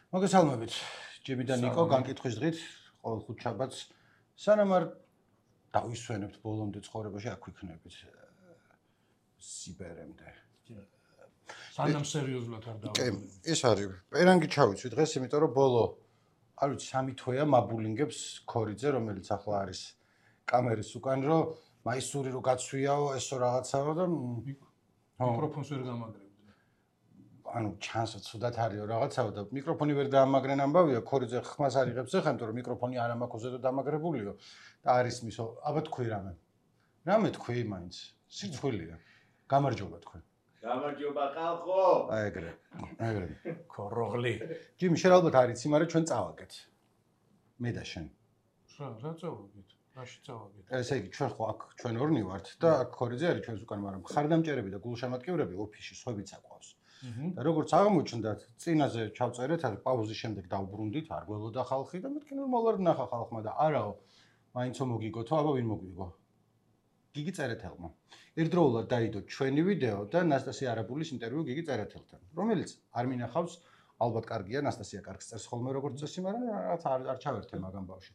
მოგესალმებით. ჯიმი და ნიკო განკითხვის დღით ყოველ ხუთშაბათს სანამ არ დავისვენებთ ბოლომდე ცხოვრებაში აქ ვიქნებით სიბერემდე. სანამ სერიოზულად არ დავიწყებ. ეს არის პერანგი ჩავიცვი დღეს, იმიტომ რომ ბოლო არ ვიცი 3 თვეა მაბულინგებს ქორიძე, რომელიც ახლა არის კამერის უკან, რომ მაისური რო გაცვიაო, ესო რაღაცაო და მიკროფონს ვერ გამაგრებდი. ანუ ჩანსო ცუდად არისო რაღაცაო და მიკროფონი ვერ დაამაგრენ ამბავია, ქორიძე ხმას არიღებს ახლა, იმიტომ რომ მიკროფონი არ ამაქვს ზედო დამაგრებულიო და არის მისო, აბა თქვი რამე. რამე თქვი მაინც, სიცხვილეა. გამარჯობა თქვენ. გამარჯობა ხალხო. აი ეგრე. ქოროღლი. ჯიმი, შენ ალბათ არ იცი, მაგრამ ჩვენ წავაგეთ. მე და შენ. რა წავაგეთ? რაში წავაგეთ? ესე იგი, ჩვენ ხო აქ ჩვენ ორნი ვართ და აქ ქორიძე არის ჩვენს უკან, მაგრამ ხარდამჭერები და გულშემატკივრები ოფისში სხვებიც აყვავს. და როგორც აღმოჩნდა, წინაზე ჩავწერეთ, პაუზის შემდეგ დავბრუნდით, არ გველოდა ხალხი და მეთქი ნორმალურად ნახა ხალხმა და არაო, მაინცო მოგიგოთო, აბა ვინ მოგვიგო? გიგი წერეთელმა. ერთდროულად დაიდო ჩვენი ვიდეო და ნასტასია არაბულის ინტერვიუ გიგი წერეთელთან, რომელიც არ მინახავს, ალბათ კარგია, ნასტასია კარგს წერს ხოლმე როგორც წესი, მაგრამ რაღაც არ ჩავერთე მაგამ ბავში.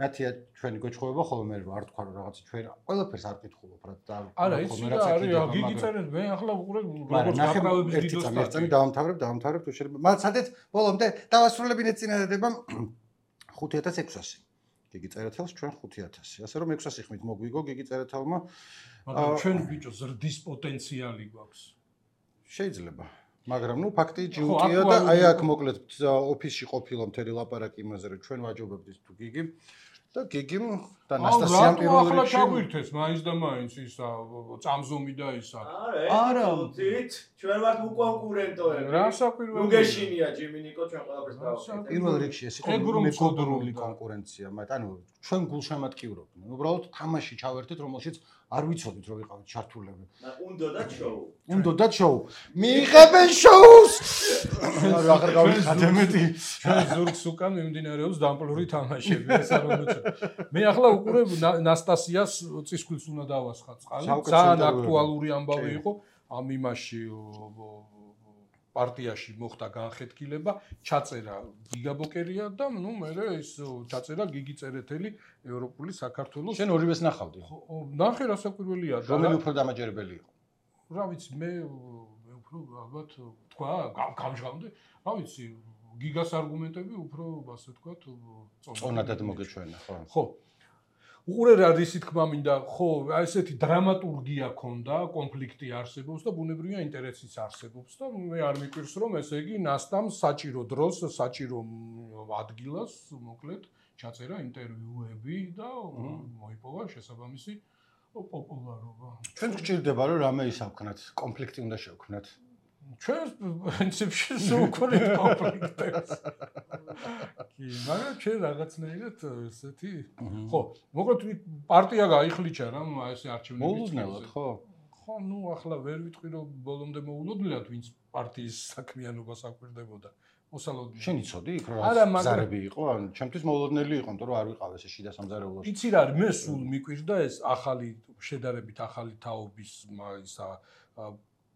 ნათია ჩვენი გოჩხოვება ხოლმე მე არ თქვა რომ რაღაც ჩვენ ყველაფერს არ კითხულობ რა და არა იცი რა არის გიგი წერეთ მე ახლა უყურე როგორც გაკრავების ვიდეოს წამი დავამთავრებ თუ შეიძლება მაგრამ სადეთ ბოლომდე დავასრულებინეთ წინადადებამ 5600 გიგი წერეთელს ჩვენ 5000 ასე რომ 600 ხმით მოგვიგო გიგი წერეთელმა მაგრამ ჩვენ ბიჭო ზრდის პოტენციალი გვაქვს შეიძლება მაგრამ ნუ ფაქტი ჯიუტია და აი აქ მოკლედ ოფისში ყოფილა მთელი ლაპარაკი იმაზე რომ ჩვენ ვაჯობებდით თუ გიგიმ და გიგიმ და ნასტასიამ პირველ რიგში ახლა ჩაგვირთეს მაინც და მაინც ისა წამზომი და ისა არა თვით ჩვენ ვართ უკონკურენტოები რა საკვირველი ნუ გეშინია ჯიმი ნიკო ჩვენ ყველაფერს დავაკეთეთ პირველ რიგში ეს იყო მეგობრული კონკურენცია მაგრამ ანუ ჩვენ გულშემატკივრობდნენ უბრალოდ თამაში ჩავერთეთ რომელშიც არ ვიცოდით რომ ვიყავით ჩართულები უნდოდათ შოუ მიიღებენ შოუს აღარ გავიხადემეთი ჩვენ ზურგს უკან მიმდინარეობს დამპლური თამაშები ეს არ უნდა მე ახლა უყურებ ნასტასიას წისქვილს უნდა დავასხა წყალი ძალიან აქტუალური ამბავი იყო ამ იმაში პარტიაში მოხდა განხეთქილება ჩაწერა გიგაბოკერია და ნუ მე ეს ჩაწერა გიგი წერეთელი ევროპული საქართველოს შენ ორივეს ნახავდი ნახე რა საკვირველია რომელი უფრო დამაჯერებელი იყო რა ვიცი მე უფრო ალბათ თქვა გამჟღავნდი რა ვიცი გიგას არგუმენტები უფრო ასე თქვა წონადად მოგეჩვენა ხო უყურე რა რისი თქმა მინდა ხო ესეთი დრამატურგია ქონდა კონფლიქტი არსებობს და ბუნებრივია ინტერესიც არსებობს და მე არ მიკვირს რომ ესე იგი ნასტამ საჭირო დროს საჭირო ადგილას მოკლედ ჩაწერა ინტერვიუები და მოიპოვა შესაბამისი პოპულარობა ჩვენ გჭირდება რომ რამე ისავქნათ კონფლიქტი უნდა შევქნათ ჩვენ პრინციპში სულ კონფლიქტებს კი მაგრამ ჩვენ რაღაცნაირად ესეთი ხო მოკლედ პარტია გაიხლიჩა რა ესე არჩევნები მოულოდნელად ხო ნუ ახლა ვერ ვიტყვი რომ ბოლომდე მოულოდნელად ვინც პარტიის საქმიანობას აკვირდებოდა მოსალოდნელად შენ იცოდი იქ რა ზარები იყო ან ჩემთვის მოულოდნელი იყო იმიტომ რომ არ ვიყავ ესე შიდა სამზარეულოში იცი რა არის მე სულ მიკვირდა ეს ახალი შედარებით ახალი თაობის ისა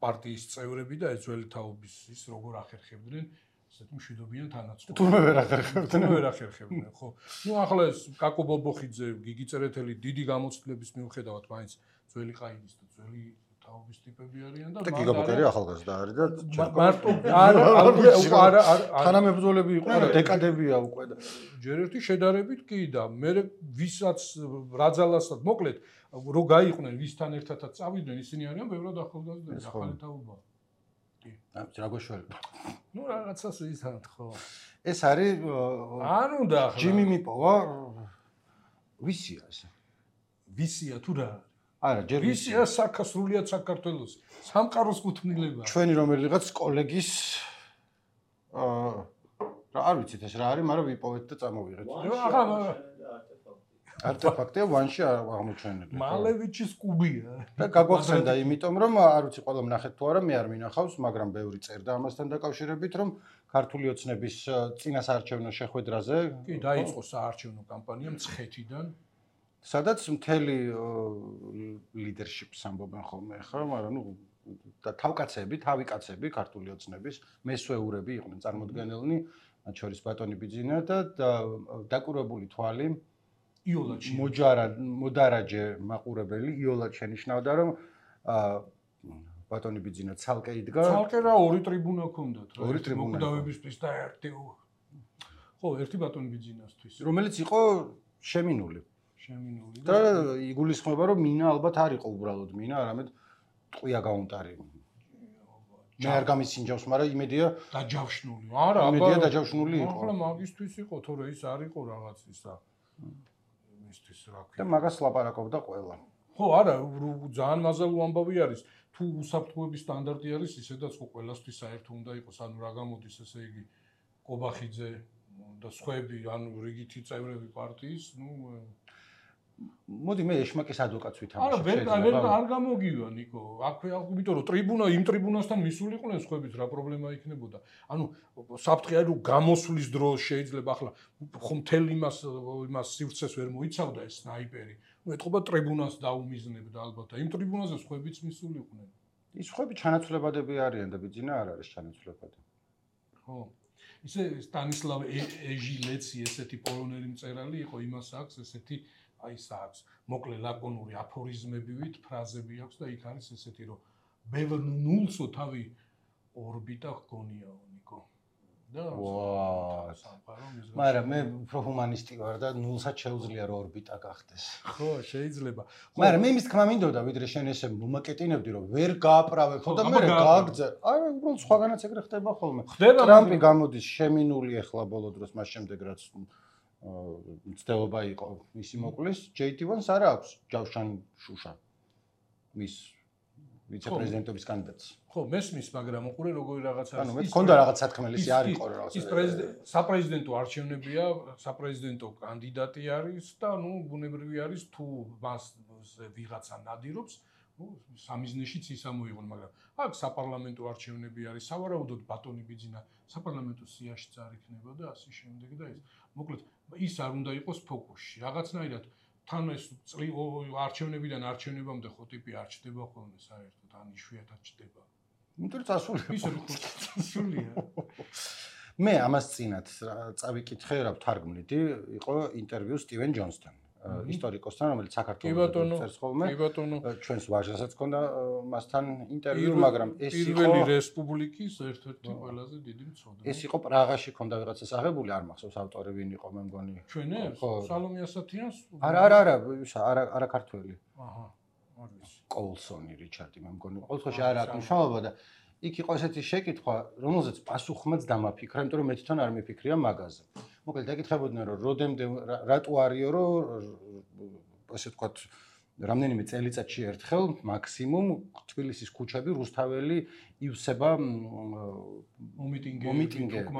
პარტიის წევრები და ეს ძველი თაობის ის როგორ ახერხებდნენ ესეთი მშვიდობიან თანაცმლებს. თუმე ვერ ახერხებდნენ. ხო. ნუ ახლა ეს კაკო ბობოხიძე, გიგი წერეთელი დიდი გამოცდილების მიუხედავად მაინც ძველი ყაიდის და ძველი თაობის ტიპები არიან და გიგი ბობოხი ახალგაზრდა არის და მარტო არა თანამებრძოლები იყვნენ და დეკადებია უკვე და ჯერ ერთი შედარებით კი და მე ვისაც რაძალასაც მოკლედ რო გაიყვნენ ვისთან ერთადაც წავიდნენ ისინი არიან ბევრად ახალგაზრდები ახალი თაობა კი რა გოშველება ნუ რაღაცას ისთან ხო ეს არის არ უნდა ახლა ჯიმი მიპოვა ვისია ეს ვისია თუ რა არა ჯერ ვისია საქართველოს საქართველოს სამყაროს კუთვნილება ჩვენი რომელიღაც კოლეგის რა არ ვიცით ეს რა არის მაგრამ ვიპოვეთ და წამოვიღეთ არტეფაქტია ვანში აღმოჩენილი. მალევიჩის კუბია. და გაგვახსენდა იმიტომ რომ არ ვიცი ყველა მნახეთ თუ არა მე არ მინახავს, მაგრამ ბევრი წერდა ამასთან დაკავშირებით რომ ქართული ოცნების წინასაარჩევნო შეხვედრაზე კი დაიწყო საარჩევნო კამპანია მცხეთიდან სადაც მთელი ლიდერშიპს ამბობენ ხოლმე ხა, მაგრამ ნუ და თავკაცები, თავიკაცები, ქართული ოცნების მესვეურები იყვნენ წარმოდგენილნი, მათ შორის ბატონი ბიძინა და დაკურებული თვალი მოდარაჯე მაყურებელი იოლად შენიშნავდა, რომ ბატონი ბიძინა ცალკე იდგა. ცალკე რა ორი ტრიბუნა ჰქონდათ რა. ორი ტრიბუნა. მოკვდავებისთვის და ერთი ხო, ერთი ბატონი ბიძინასთვის. რომელიც იყო შემინული. და იგულისხმება, რომ მინა ალბათ არ იყო უბრალოდ მინა, არამედ ტყვია გაუნტარი. მე არ გამისინჯავს, მაგრამ იმედია დაჯავშნული. არა, იმედია დაჯავშნული იყო. ახლა მაგისთვის იყო, თორე ის არ იყო რაღაც ისა. იმისთვის რა ქვია. და მაგას ლაპარაკობდა ყველა. ხო, არა, ძალიან მაზალო ამბავი არის. თუ უსაფრთხოების სტანდარტი არის, ისედაც ხო ყველასთვის საერთო უნდა იყოს, ანუ რა გამოდის, ესე იგი, კობახიძე და სხვები, ანუ რიგითი წევრები პარტიის, მოდი მე ეშმაკის ადვოკატს არა, არ გამოგივა ნიკო. აქვე, იმიტომ რომ ტრიბუნა იმ ტრიბუნასთან მისულიყვნენ სხვებიც, რა პრობლემა იქნებოდა. ანუ საფრთხე არის რომ გამოსვლის დროს შეიძლება ახლა ხო მთელ იმას სივრცეს ვერ მოიცავდა ეს სნაიპერი. ეთყობა ტრიბუნას დაუმიზნებდა ალბათ და იმ ტრიბუნაზე სხვებიც მისულიყვნენ. ის სხვები ჩანაცვლებადები არიან და ბიძინა არ არის ჩანაცვლებადი. ხო. ისე სტანისლავ ეჟილეცი ესეთი პოლონელი მწერალი იყო, იმას აქვს ესეთი აი საქვს მოკლე ლაკონური აფორიზმებივით ფრაზები აქვს და იქ არის ესეთი რომ ბევრ ნულსო თავი ორბიტა ჰგონიაო ნიკო და მაგრამ მე უფრო ჰუმანისტი ვარ და ნულსაც შეუძლია რომ ორბიტა გახდეს ხო შეიძლება მაგრამ მე იმის თქმა მინდოდა ვიდრე შენ ესე მომაკეტინებდი რომ ვერ გააправე ხო და მე გააგზა აი უბრალოდ სხვაგანაც ეგრე ხდება ხოლმე ტრამპი გამოდის შემინული ახლა ბოლო დროს მას შემდეგ რაც მცდელობა იყო მისი მოკვლის ჯეიტივანს არა აქვს ჯავშან შუშა მის ვიცე-პრეზიდენტობის კანდიდატს ხო მესმის მაგრამ უყურე როგორი რაღაც არის ანუ მე მქონდა რაღაც სათქმელი ის არ იყო რაღაც ის საპრეზიდენტო არჩევნებია საპრეზიდენტო კანდიდატი არის და ნუ ბუნებრივი არის თუ მას ვიღაცა ნადირობს სამიზნეშიც ის ამოიღონ მაგრამ აქ საპარლამენტო არჩევნები არის სავარაუდოდ ბატონი ბიძინა საპარლამენტო სიაშიც არ იქნება და ასე შემდეგ და ეს მოკლედ ის არ უნდა იყოს ფოკუსში რაღაცნაირად თან ეს არჩევნებიდან არჩევნებამდე ხო ტიპი არ ჩდება ხოლმე საერთოდ ან იშვიათად ჩდება იმიტომ რომ წასულია ისე რომ წასულია მე ამას წინათ წავიკითხე რა ვთარგმნიდი იყო ინტერვიუ სტივენ ჯონსთან ისტორიკოსთან რომელიც საქართველოს წერს ხოლმე ჩვენს ვაჟასაც ჰქონდა მასთან ინტერვიუ მაგრამ ეს იყო პირველი რესპუბლიკის ერთ-ერთი ყველაზე დიდი მცოდნე ეს იყო პრაღაში ჰქონდა ვიღაცას აღებული არ მახსოვს ავტორი ვინ იყო მე მგონი ჩვენებს სალომე ასათიანს არა ქართველი აჰა არ ვიცი კოლსონი რიჩარდი მე მგონი ყოველთვის არ აქვს მნიშვნელობა და იქ იყო ესეთი შეკითხვა რომელზეც პასუხმაც დამაფიქრა იმიტომ რომ მე თვითონ არ მიფიქრია მაგაზე მოკლედ ეკითხებოდნენ რომ როდემდე რატო არიო რომ ასე ვთქვათ რამდენიმე წელიწადში ერთხელ მაქსიმუმ თბილისის ქუჩები რუსთაველი ივსება მომიტინგები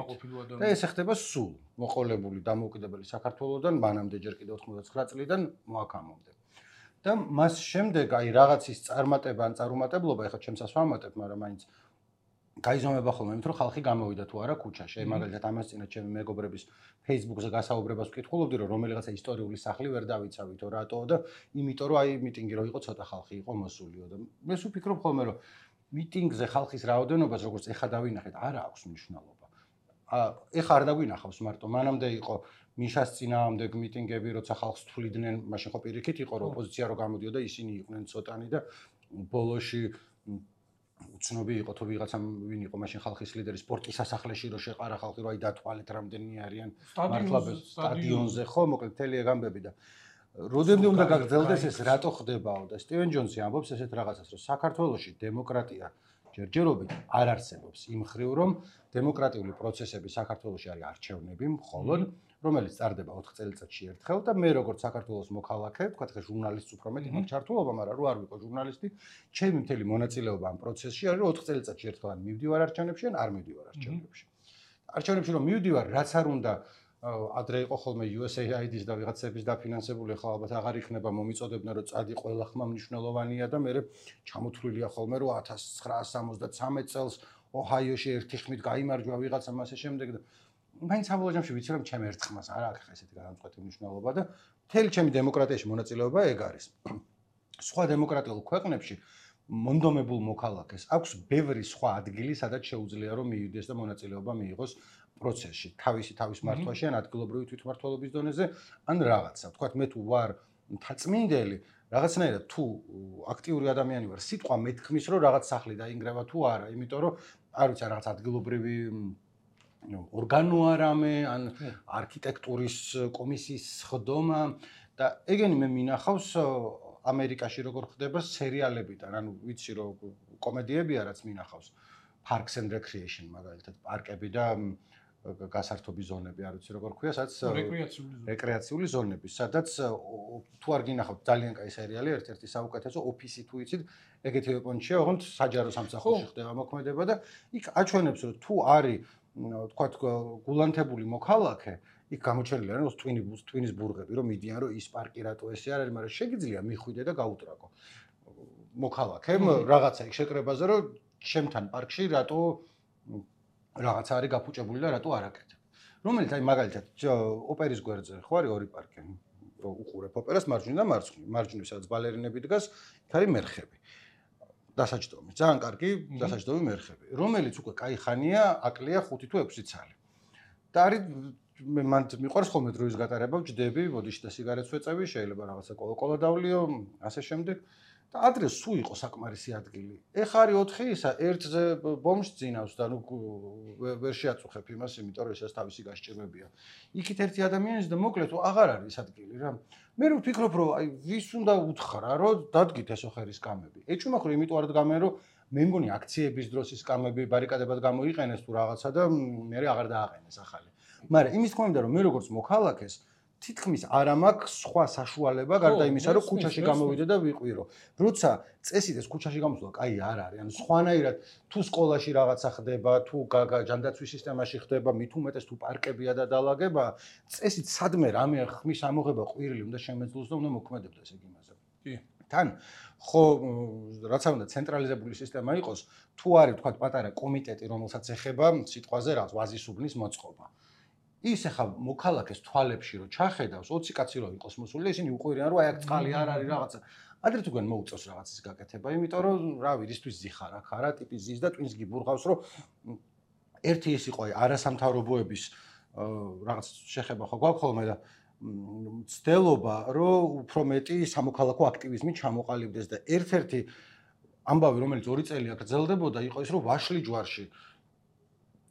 და ეს ხდება სულ მოყოლებული დამოუკიდებელი საქართველოსთან მანამდე ჯერ კიდევ 99 წლიდან მოაქამომდე და მას შემდეგ აი რაღაცის წარმატება ან წარუმატებლობა ეხლა ჩემსაც ვამატებ მაგრამ მაინც გაიზომება ხოლმე იმიტომ რომ ხალხი გამოვიდა თუ არა ქუჩაში მაგალითად ამას წინათ ჩემი მეგობრების Facebook-ზე გასაუბრებას ვკითხულობდი რომ რომელიღაცა ისტორიული სახლი ვერ დავიცავითო რატო და იმიტომ რომ აი მიტინგი რო იყო ცოტა ხალხი იყო მოსულიო და მე ვფიქრობ ხოლმე რომ მიტინგზე ხალხის რაოდენობას როგორც ეხა დავინახეთ არა აქვს მნიშვნელობა ეხა არ დაგვინახავს მარტო მანამდე იყო მიშას წინააღმდეგ მიტინგები როცა ხალხს თვლიდნენ მაშინ ხო პირიქით იყო რომ ოპოზიცია რო გამოდიოდა ისინი იყვნენ ცოტანი და ბოლოში უცნობი იყო თუ ვიღაცამ ვინ იყო მაშინ ხალხის ლიდერი სპორტის სასახლეში რო შეყარა ხალხი რო აი დათვალეთ რამდენი არიან მართლაბეს სტადიონზე ხო მოკლედ მთელი ეგ ამბები და როდემდე უნდა გაგრძელდეს ეს რატო ხდებაო და სტივენ ჯონსი ამბობს ესეთ რაღაცას რომ საქართველოში დემოკრატია ჯერჯერობით არ არსებობს იმ ხრივ რომ დემოკრატიული პროცესები საქართველოში არის არჩევნები მხოლოდ რომელიც წარდება 4 წელიწადში ერთხელ და მე როგორც საქართველოს მოქალაქე, თქვათ ხე ჟურნალისტს უფრო მეტი მაქვს ჩართულობა, მაგრამ რო არ ვიყო ჟურნალისტი, ჩემი მთელი მონაწილეობა ამ პროცესში არის რომ 4 წელიწადში ერთხელ ან მივდივარ არჩევნებში, ან არ მივდივარ არჩევნებში. არჩევნებში რომ მივდივარ, რაც არ უნდა ადრე იყო ხოლმე USAID-ის და ვიღაცების დაფინანსებული, ახლა ალბათ აღარ იქნება მომიწოდებნა რომ წადი ყველა ხმა მნიშვნელოვანია და მე ჩამოთვლილია ხოლმე რომ 1973 წელს ოჰაიოში ერთი ხმით გაიმარჯვა ვიღაცა მასე შემდეგ და მაინც საბოლოო ჯამში ვიცი რომ ჩემ ერთ ხმას არ აქვს ესეთი განამწყვეტი მნიშვნელობა და მთელი ჩემი დემოკრატიაში მონაწილეობა ეგ არის. სხვა დემოკრატიულ ქვეყნებში მონდომებულ მოქალაქეს აქვს ბევრი სხვა ადგილი, სადაც შეუძლია რომ მივიდეს და მონაწილეობა მიიღოს პროცესში, თავის მართვაში ან ადგილობრივი თვითმმართველობის დონეზე, ან რაღაცა. Თქვათ მე თუ ვარ მთაწმინდელი, რაღაცნაირად თუ აქტიური ადამიანი ვარ, სიტყვა მეთქმის რომ რაღაც სახლი დაინგრევა თუ არა, იმიტომ რომ არ ვიცი, რაღაც ადგილობრივი ორგანო არამე, ან არქიტექტურის კომისიის სხდომა და ეგენი მე მინახავს ამერიკაში როგორ ხდება სერიალებიდან, ანუ ვიცი რომ კომედიებია რაც მინახავს Parks and Recreation მაგალითად პარკები და გასართობი ზონები, არ ვიცი როგორ ქვია, სადაც რეკრეაციული ზონები, სადაც თუ არ გინახავთ ძალიან კაი სერიალი, ერთ-ერთი საუკეთესო ოფისი თუ იცით, ეგეთი ეპონჩია, ოღონდ საჯარო სამსახურში ხდება მოქმედება და იქ აჩვენებს რომ თუ არის თქვათ გულანთებული მოქალაქე, იქ გამოჩენილი არის ტვინის ბურგები, რომ მიდიან რომ ის პარკი რატო ესე არ არის, მაგრამ შეგიძლია მიხვიდე და გაუტრაკო. მოქალაქემ რაღაცა იქ შეკრებაზე რომ ჩემთან პარკში რატო რაღაცა არის გაფუჭებული და რატო არ აკეთებ. რომელიც აი მაგალითად ოპერის გვერდზე ხო არის ორი პარკი, რომ უყურებ ოპერას მარჯვნივ და მარცხნივ. მარჯვნივ სადაც ბალერინები დგას, იქ არის მერხები. დასაჯდომი, ძალიან კარგი დასაჯდომი მერხები, რომელიც უკვე კაი ხანია აკლია 5 თუ 6 წელი. და არის მე მან მიყვარს ხოლმე დროის გატარება, ვჯდები, ბოდიში და სიგარეტს ვეწევი, შეიძლება რაღაცა კოლა დავლიო, ასე შემდეგ. და ადრე სულ იყო საკმარისი ადგილი. ეხა არის 4 ისა, ერთზე ბომჟს ძინავს და ნუ ვერ შეაწუხებ იმას, იმიტომ რომ ესაც თავისი გასჭირვებია. იქით ერთი ადამიანის და მოკლედ აღარ არის ადგილი რა. მე ვფიქრობ რომ აი ვის უნდა უთხრა რომ დადგით ეს ოხერის კამები. ეჭვმა ხო იმიტომ არ დგამენ რომ მე მგონი აქციების დროს ის კამები ბარიკადებად გამოიყენეს თუ რაღაცა და მე აღარ დააყენეს ახალი. მაგრამ იმის თქმა უნდა რომ მე როგორც მოქალაქეს თითქმის არ მაქვს სხვა საშუალება გარდა იმისა რომ ქუჩაში გამოვიდე და ვიყვირო. როცა წესით ეს ქუჩაში გამოსვლა კაი არ არის. ანუ სხვანაირად თუ სკოლაში რაღაცა ხდება, თუ ჯანდაცვის სისტემაში ხდება, მით უმეტეს თუ პარკებია და დაალაგება, წესით სადმე რამე ხმის ამოღება ყვირილი უნდა შემეძლოს და უნდა მოქმედებდეს ეგ იმაზე. კი. თან ხო რაც არ უნდა ცენტრალიზებული სისტემა იყოს, თუ არის თქვა პატარა კომიტეტი, რომელსაც ეხება სიტყვაზე რაღაც ვაზისუბნის მოწყობა. ის ახლა მოქალაქეს თვალებში რომ ჩახედავს 20 კაცი რო იყოს მოსული, ისინი უყვირიან რომ აი აქ წყალი არ არის რაღაცა. ადრე თუ გან მოუწევს რაღაცის გაკეთება, იმიტომ რომ რავი, რისთვის ზიხარ აქ არა, ტიპის ზის და ტვინს გიბურღავს, რომ ერთი ის იყო აი არასამთავრობოების რაღაც შეხება ხო გვაქვს ხოლმე და ცდელობა რომ უფრო მეტი სამოქალაქო აქტივიზმი ჩამოყალიბდეს და ერთ-ერთი ამბავი რომელიც 2 წელი აგრძელდებოდა იყო ის რომ ვაშლი ჯვარში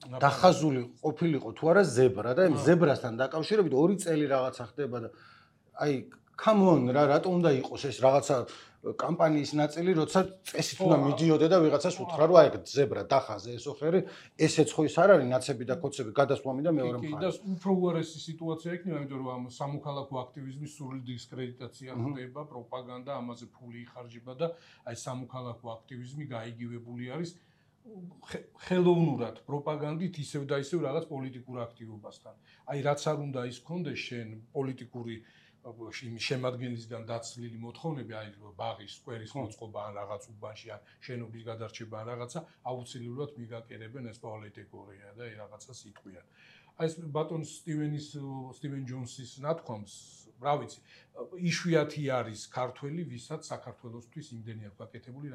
დახაზული ყოფილიყო თუ არა ზებრა და იმ ზებრასთან დაკავშირებით 2 წელი რაღაცა ხდება და აი come on რა რატომ უნდა იყოს ეს რაღაცა კამპანიის ნაწილი როცა წესით უნდა მიდიოდე და ვიღაცას უთხრა რომ აი ზებრა დახაზე ეს ოხერი ესეც ხო ის არ არის ნაცები და კოცები გადასვლამი და მეორე მხარე. და უფრო უარესი სიტუაცია იქნება, იმიტომ რომ ამ სამოქალაქო აქტივიზმის სრული დისკრედიტაცია ხდება, პროპაგანდა, ამაზე ფული იხარჯება და აი სამოქალაქო აქტივიზმი გაიგივებული არის ხელოვნურად პროპაგანდით ისევ და ისევ რაღაც პოლიტიკურ აქტივობასთან. აი რაც არ უნდა ის კონდეს შენ პოლიტიკური შემადგენლისგან დაცლილი მოთხოვნები, აი ბაღის, სკვერის მოწყობა ან რაღაც უბანში ან შენობის გადარჩება ან რაღაცა, აუცილებლად მიგაკერებენ ეს პოლიტიკურია და რაღაცას იტყვიან. აი ეს ბატონ სტივენ ჯონსის ნათქვამს, რა ვიცი, იშვიათი არის ქართველი, ვისაც საქართველოსთვის იმდენი აქვს გაკეთებული,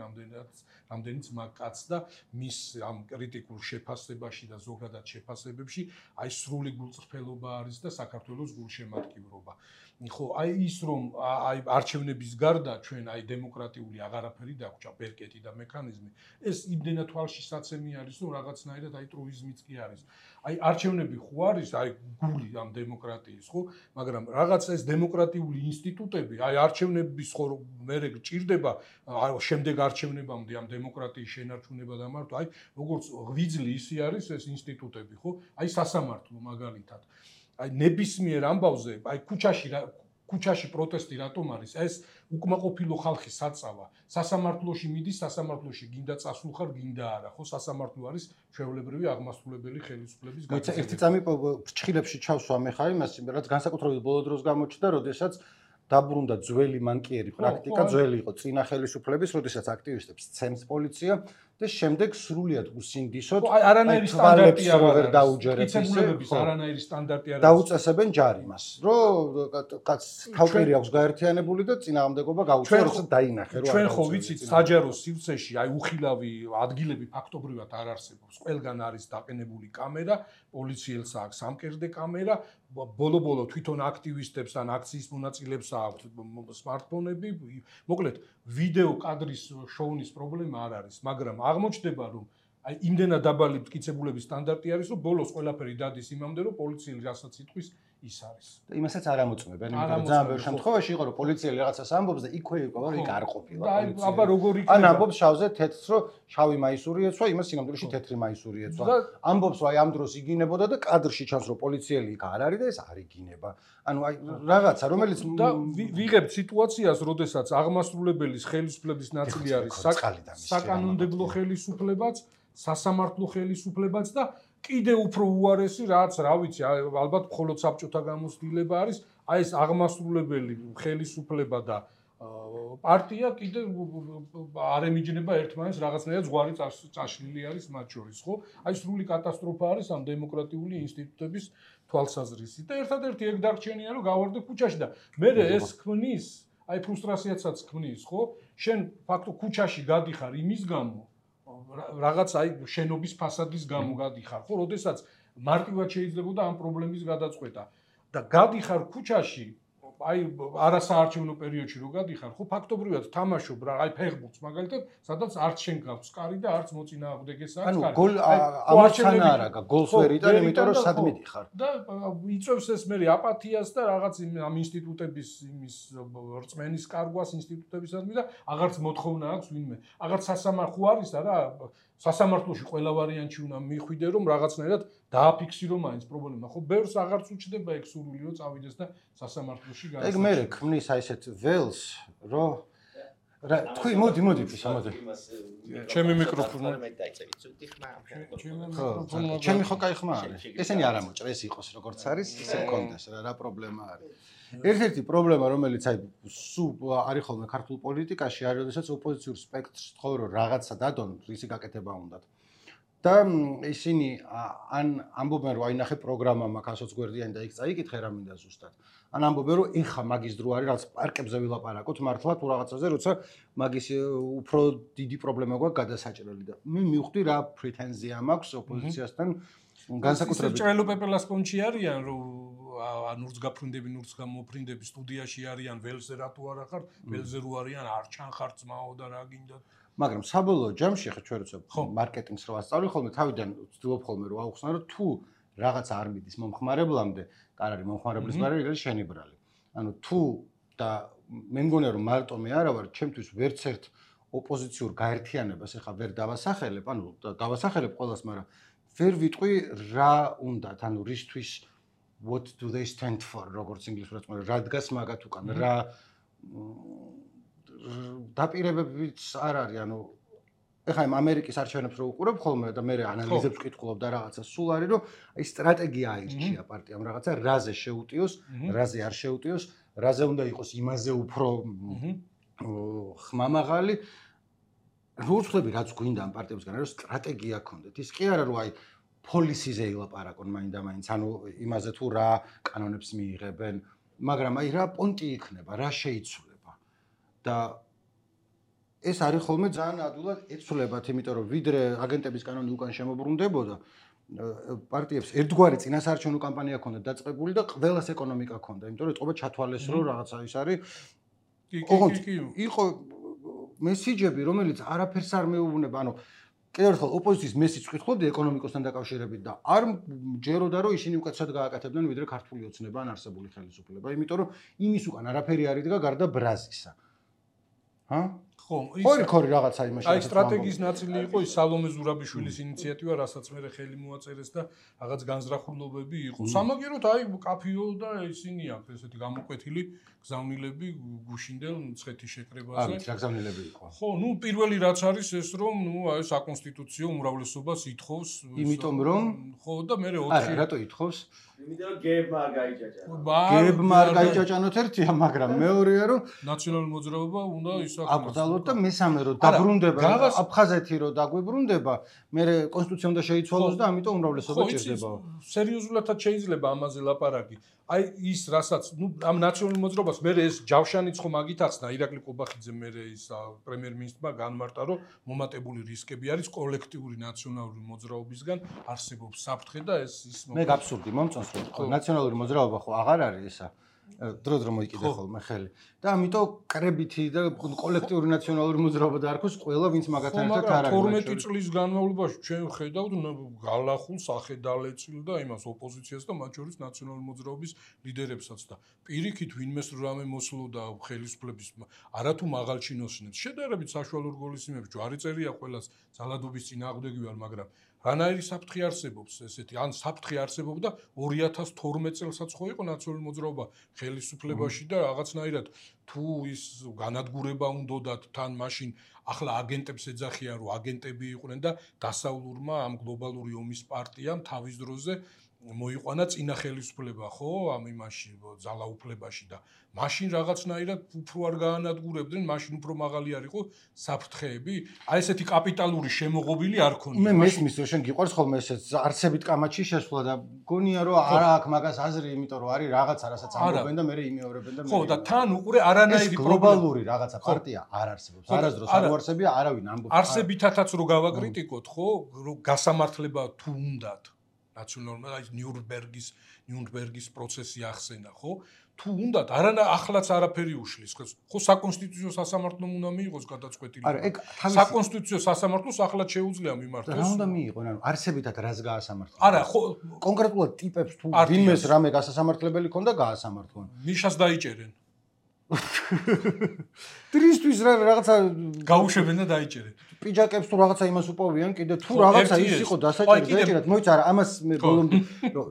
რამდენიც მაგ კაცს და მის ამ კრიტიკულ შეფასებაში და ზოგადად შეფასებებში აი სრული გულწრფელობა არის და საქართველოს გულშემატკივრობა. ხო, აი ის რომ აი არჩევნების გარდა ჩვენ აი დემოკრატიული აღარაფერი დაგვრჩა, ბერკეტი და მექანიზმი, ეს იმდენად თვალში საცემი არის, რომ რაღაცნაირად აი ტრუიზმიც კი არის. აი არჩევნები ხო არის, აი გული ამ დემოკრატიის, ხო, მაგრამ რაღაც ეს დემოკრატიული ინსტიტუტები, აი არჩევნების ხო მერე გჭირდება, შემდეგ არჩევნებამდე ამ დემოკრატიის შენარჩუნება და მართვა, აი როგორც ღვიძლი ისი არის ეს ინსტიტუტები, ხო? აი სასამართლო მაგალითად. აი ნებისმიერ ამბავზე, აი ქუჩაში პროტესტი რატომ არის? ეს უკმაყოფილო ხალხის საწავა. სასამართლოში მიდის, სასამართლოში გინდა წასულხარ, გინდა არა, ხო? სასამართლო არის ჩვეულებრივი აღმასრულებელი ხელისუფლების გაგრძელება. ერთი წამი ფრჩხილებში ჩავსვა მე ხარ იმას, რაც განსაკუთრებით ბოლო დროს გამოჩნდა, როდესაც დაბრუნდა ძველი მანკიერი პრაქტიკა, ძველი იყო წინა ხელისუფლების, როდესაც აქტივისტებს ცემს პოლიცია და შემდეგ სრულიად უსინდისოდ არანაირი სტანდარტი არ ვერ დაუჯერებს მტკიცებულების არანაირი სტანდარტი არ არის. დაუწესებენ ჯარიმას, რომ კაც თავკერი აქვს გაერთიანებული და წინააღმდეგობა გაუწია, როცა დაინახე, რომ ჩვენ ხო ვიცით საჯარო სივრცეში აი უხილავი ადგილები ფაქტობრივად არ არსებობს. ყველგან არის დაყენებული კამერა, პოლიციელს აქვს სამკერდე კამერა, ბოლო-ბოლო თვითონ აქტივისტებს ან აქციის მონაწილეებს აქვს smartphone-ები. მოკლედ, ვიდეო კადრის შოუნის პრობლემა არ არის, მაგრამ აღმოჩნდება, რომ აი იმდენად დაბალი მტკიცებულების სტანდარტი არის, რომ ბოლოს ყველაფერი დადის იმამდე, რომ პოლიციელი რასაც იტყვის, ის არის. და იმასაც არ ამოწმებენ, იმიტომ რომ ძალიან ბევრ შემთხვევაში იყო, რომ პოლიციელი რაღაცას ამბობს და იქვე იყო, რომ იქ არ ყოფილა პოლიციელი. აბა როგორ იქნება? ან ამბობს შავზე თეთრს, რომ შავი მაისური ეცვა, იმას სინამდვილეში თეთრი მაისური ეცვა. ამბობს, რომ აი ამ დროს იგინებოდა და კადრში ჩანს, რომ პოლიციელი იქ არ არის და ეს არ იგინება. ანუ აი რაღაცა, რომელიც და ვიღებთ სიტუაციას, როდესაც აღმასრულებელის ხელისუფლების ნაწილი არის საკანონმდებლო ხელისუფლებაც, სასამართლო ხელისუფლებაც და კიდე უფრო უარესი რაც, რა ვიცი, ალბათ მხოლოდ საბჭოთა გამოცდილება არის, აი ეს აღმასრულებელი ხელისუფლება და პარტია კიდე არ ემიჯნება ერთმანეთს რაღაცნაირად ზღვარი წაშლილი არის მათ შორის, ხო? აი სრული კატასტროფა არის ამ დემოკრატიული ინსტიტუტების თვალსაზრისით. და ერთადერთი ეგ დარჩენია, რომ გავარდე ქუჩაში და მე ეს ქმნის, აი ფრუსტრაციაცაც ქმნის, ხო? შენ ფაქტობრივად ქუჩაში გადიხარ იმის გამო, რაღაც აი შენობის ფასადის გამო გადიხარ, ხო? როდესაც მარტივად შეიძლებოდა ამ პრობლემის გადაწყვეტა და გადიხარ ქუჩაში, აი არასაარჩევნო პერიოდში რო გადიხარ, ხო, ფაქტობრივად თამაშობ რა, აი ფეხბურთს მაგალითად, სადაც არც შენ გაქვს კარი და არც მოწინააღმდეგეს აქვს კარი. ანუ გოლ ამოჩანა არა, გოლს ვერ იტან, იმიტომ რომ სად მიდიხარ. და იწევს ეს მე აპათიას და რაღაც ამ ინსტიტუტების იმის რწმენის კარგვას ინსტიტუტებისადმი და აღარც მოთხოვნა აქვს ვინმე. აღარც სასამართლო არის არა, სასამართლოში ყველა ვარიანტი უნდა მიხვიდე, რომ რაღაცნაირად დააფიქსირო მაინც პრობლემა. ხო, ბევრს აღარც უჩნდება ეგ სურვილი, რომ წავიდეს და სასამართლოში გაისახოს. ეგ მე ქმნის აი ესეთ ველს, რომ რა თქვი, მოდი ფისა, მოდი. ჩემი მიკროფონი. ჩემი ხო кай ხმა არის. ესენი არ ამოჭრა, ეს იყოს როგორც არის, ისე მქონდეს რა პრობლემა არის. ერთ-ერთი პრობლემა, რომელიც აი სულ არის ხოლმე ქართულ პოლიტიკაში, არის, როდესაც ოპოზიციურ სპექტრს თხოვ რომ რაღაცა დადონ, რისი გაკეთება უნდათ. და ისინი ან ამბობენ რომ აინახე პროგრამა მაქვს ასოც გვერდიანი და იქ წაიკითხე რა მინდა ზუსტად. ან ამბობენ რომ ეხა მაგის დრო არის რაღაც პარკებზე ვილაპარაკოთ მართლა თუ რაღაცაზე, როცა მაგის უფრო დიდი პრობლემა გვაქვს გადასაჭრელი და მე მივხვდი რა პრეტენზია მაქვს ოპოზიციასთან განსაკუთრებით. ჭრელო პეპელას პონჩი არიან რომ ნურს გაფრინდები, ნურს გამოფრინდები სტუდიაში არიან, ველზე რატო არა ხარ, ველზე რო არიან არ ჩანხარ ძმაო და რა გინდათ. მაგრამ საბოლოო ჯამში ხა ჩვენ როცა მარკეტინგს რო ასწავლი ხოლმე, თავიდან ვცდილობ ხოლმე რომ აუხსნა რომ თუ რაღაც არ მიდის მომხმარებლამდე, კარ არის მომხმარებლის ბარი, ეგრე შენი ბრალი. ანუ თუ და მე მგონია რომ მარტო მე არა ვარ, ჩემთვის ვერც ერთ ოპოზიციურ გაერთიანებას ეხა ვერ დავასახელებ, ანუ დავასახელებ ყველას, მაგრამ ვერ ვიტყვი რა უნდათ, ანუ რისთვის what do they stand for, როგორც ინგლისურად მოიხსნა, რა დგას მაგათ უკან, რა დაპირებებიც არ არის, ანუ ეხლა იმ ამერიკის არჩევნებს რო უყურებ ხოლმე და მე ანალიზებს ვკითხულობ და რაღაცა სულ არის, რომ აი სტრატეგია აირჩია პარტიამ რაღაცა, რაზე შეუტიოს, რაზე არ შეუტიოს, რაზე უნდა იყოს იმაზე უფრო ხმამაღალი. რო ვწდები რაც გვინდა ამ პარტიებისგან, რომ სტრატეგია ქონდეთ. ის კი არა რომ აი პოლისიზე ილაპარაკონ მაინდა-მაინც, ანუ იმაზე თუ რა კანონებს მიიღებენ, მაგრამ აი რა პონტი იქნება, რა შეიცვლება. და ეს არის ხოლმე ძალიან ადვილად ეცვლებათ, იმიტომ რომ ვიდრე აგენტების კანონი უკან შემოbrunდებოდა, პარტიებს ერთგვარი წინასაარჩევნო კამპანია ქონდათ დაწყებული და ყველას ეკონომიკა ქონდა, იმიტომ რომ ეთყობა ჩათვალეს რომ რაღაცა ის არის. იყო მესიჯები, რომელიც არაფერს არ მეუბნება, ანუ კიდევ ერთხელ ოპოზიციის მესიჯს ვკითხულობდი ეკონომიკოსთან დაკავშირებით და არ ჯეროდა რომ ისინი უკეთესად გააკეთებდნენ ვიდრე ქართული ოცნება ან არსებული ხელისუფლება, იმიტომ რომ იმის უკან არაფერი არ იდგა გარდა ბრაზისა. ჰა? ხო, ის რაღაცა იმაში. აი სტრატეგიის ნაწილი იყო ის სალომე ზურაბიშვილის ინიციატივა, რასაც მე ხელი მოაწერეს და რაღაც განზრახულობები იყო. სამაგეროთ აი კაფიო და ისინი აქვს ესეთი გამოკვეთილი გზავნილები გუშინდელ მცხეთის შეკრებაზე. რა გზავნილები იყო? ხო, ნუ პირველი რაც არის ეს რომ ნუ აი საკონსტიტუციო უმრავლესობას ითხოვს. იმიტომ რომ ხო და მე 4 არა, რატო ითხოვს? იმიტომ რომ გებმა არ გაიჭაჭა. გებმა არ გაიჭაჭანოთ ერთია, მაგრამ მეორეა რომ ნაციონალური მოძრაობა უნდა ისაქმოს. აკრძალოთ და მესამე რომ დაბრუნდება აფხაზეთი რომ დაგვიბრუნდება, მე კონსტიტუცია უნდა შეიცვალოს და ამიტომ უმრავლესობა ჭირდება. სერიოზულადაც შეიძლება ამაზე ლაპარაკი. აი ის რასაც ამ ნაციონალურ მოძრაობას მე ეს ჯავშანიც ხომ აგითახსნა ირაკლი ყობახიძე მე ის პრემიერ-მინისტრმა განმარტა რომ მომატებული რისკები არის კოლექტიური ნაციონალური მოძრაობისგან არსებობს საფრთხე და ეს ის მე გაბსურდი მომწონს რომ ნაციონალური მოძრაობა ხო აღარ არის ისა დრო მოიკიდე ხოლმე ხელი და ამიტომ კრებითი და კოლექტიური ნაციონალური მოძრაობა დაარქვეს ყველა ვინც მაგათთან ერთად არ არის 12 წლის განმავლობაში ჩვენ ხედავთ გალახულს ახედალეცილ და იმას ოპოზიციას და მათ შორის ნაციონალური მოძრაობის ლიდერებსაც და პირიქით ვინმეს რამე მოსლოდა ხელისუფლების არათუ მაღალჩინოსნებს შედარებით საშუალო რგოლისიმებს ჯვარი წერია ყველას ძალადობის წინააღმდეგი ვარ მაგრამ რანაირი საფრთხე არსებობს ესეთი ან საფრთხე არსებობდა 2012 წელსაც ხო იყო ნაციონალური მოძრაობა ხელისუფლებაში და რაღაცნაირად თუ ის განადგურება უნდათ თან მაშინ ახლა აგენტებს ეძახიან რომ აგენტები იყვნენ და დასავლურმა ამ გლობალური ომის პარტიამ თავის დროზე მოიყვანა წინა ხელისუფლება ხო ამ იმაში ძალაუფლებაში და მაშინ რაღაცნაირად უფრო არ გაანადგურებდნენ მაშინ უფრო მაღალი არ იყო საფრთხეები აი ესეთი კაპიტალური შემოღობილი არ ქონია მე მესმის რომ შენ გიყვარს ხოლმე ესეც არცებით კამათში შესვლა და გონია რომ არა აქვს მაგას აზრი იმიტომ რომ არის რაღაცა რასაც ამბობენ და მე იმეორებენ და ხო და თან უყურე არანაირი გლობალური რაღაცა პარტია არ არსებობს არასდროს არ უარსებია არავინ ამბობს არსებითაც რო გავაკრიტიკოთ ხო რომ გასამართლება თუ უნდათ ნაციონალურმა აი ნიურნბერგის პროცესი ახსენა ხო თუ უნდათ არანა ახლაც არაფერი უშლის ხო საკონსტიტუციო სასამართლომ უნდა მიიღოს გადაწყვეტილი არა ეგ საკონსტიტუციო სასამართლოს ახლაც შეუძლია მიმართოს რა უნდა მიიღონ ანუ არსებითად რას გაასამართლოს არა ხო კონკრეტულად ტიპებს თუ ვინმეს რამე გასასამართლებელი ქონდა გაასამართლონ მიშას დაიჭერენ ტრისთვის რაღაცა გაუშვებენ და დაიჭერენ პიჯაკებს თუ რაღაცა იმას უპოვიან კიდე თუ რაღაცა ის იყო დასაჭერი დაიჭერათ მოიცა არა ამას მე ბოლომდე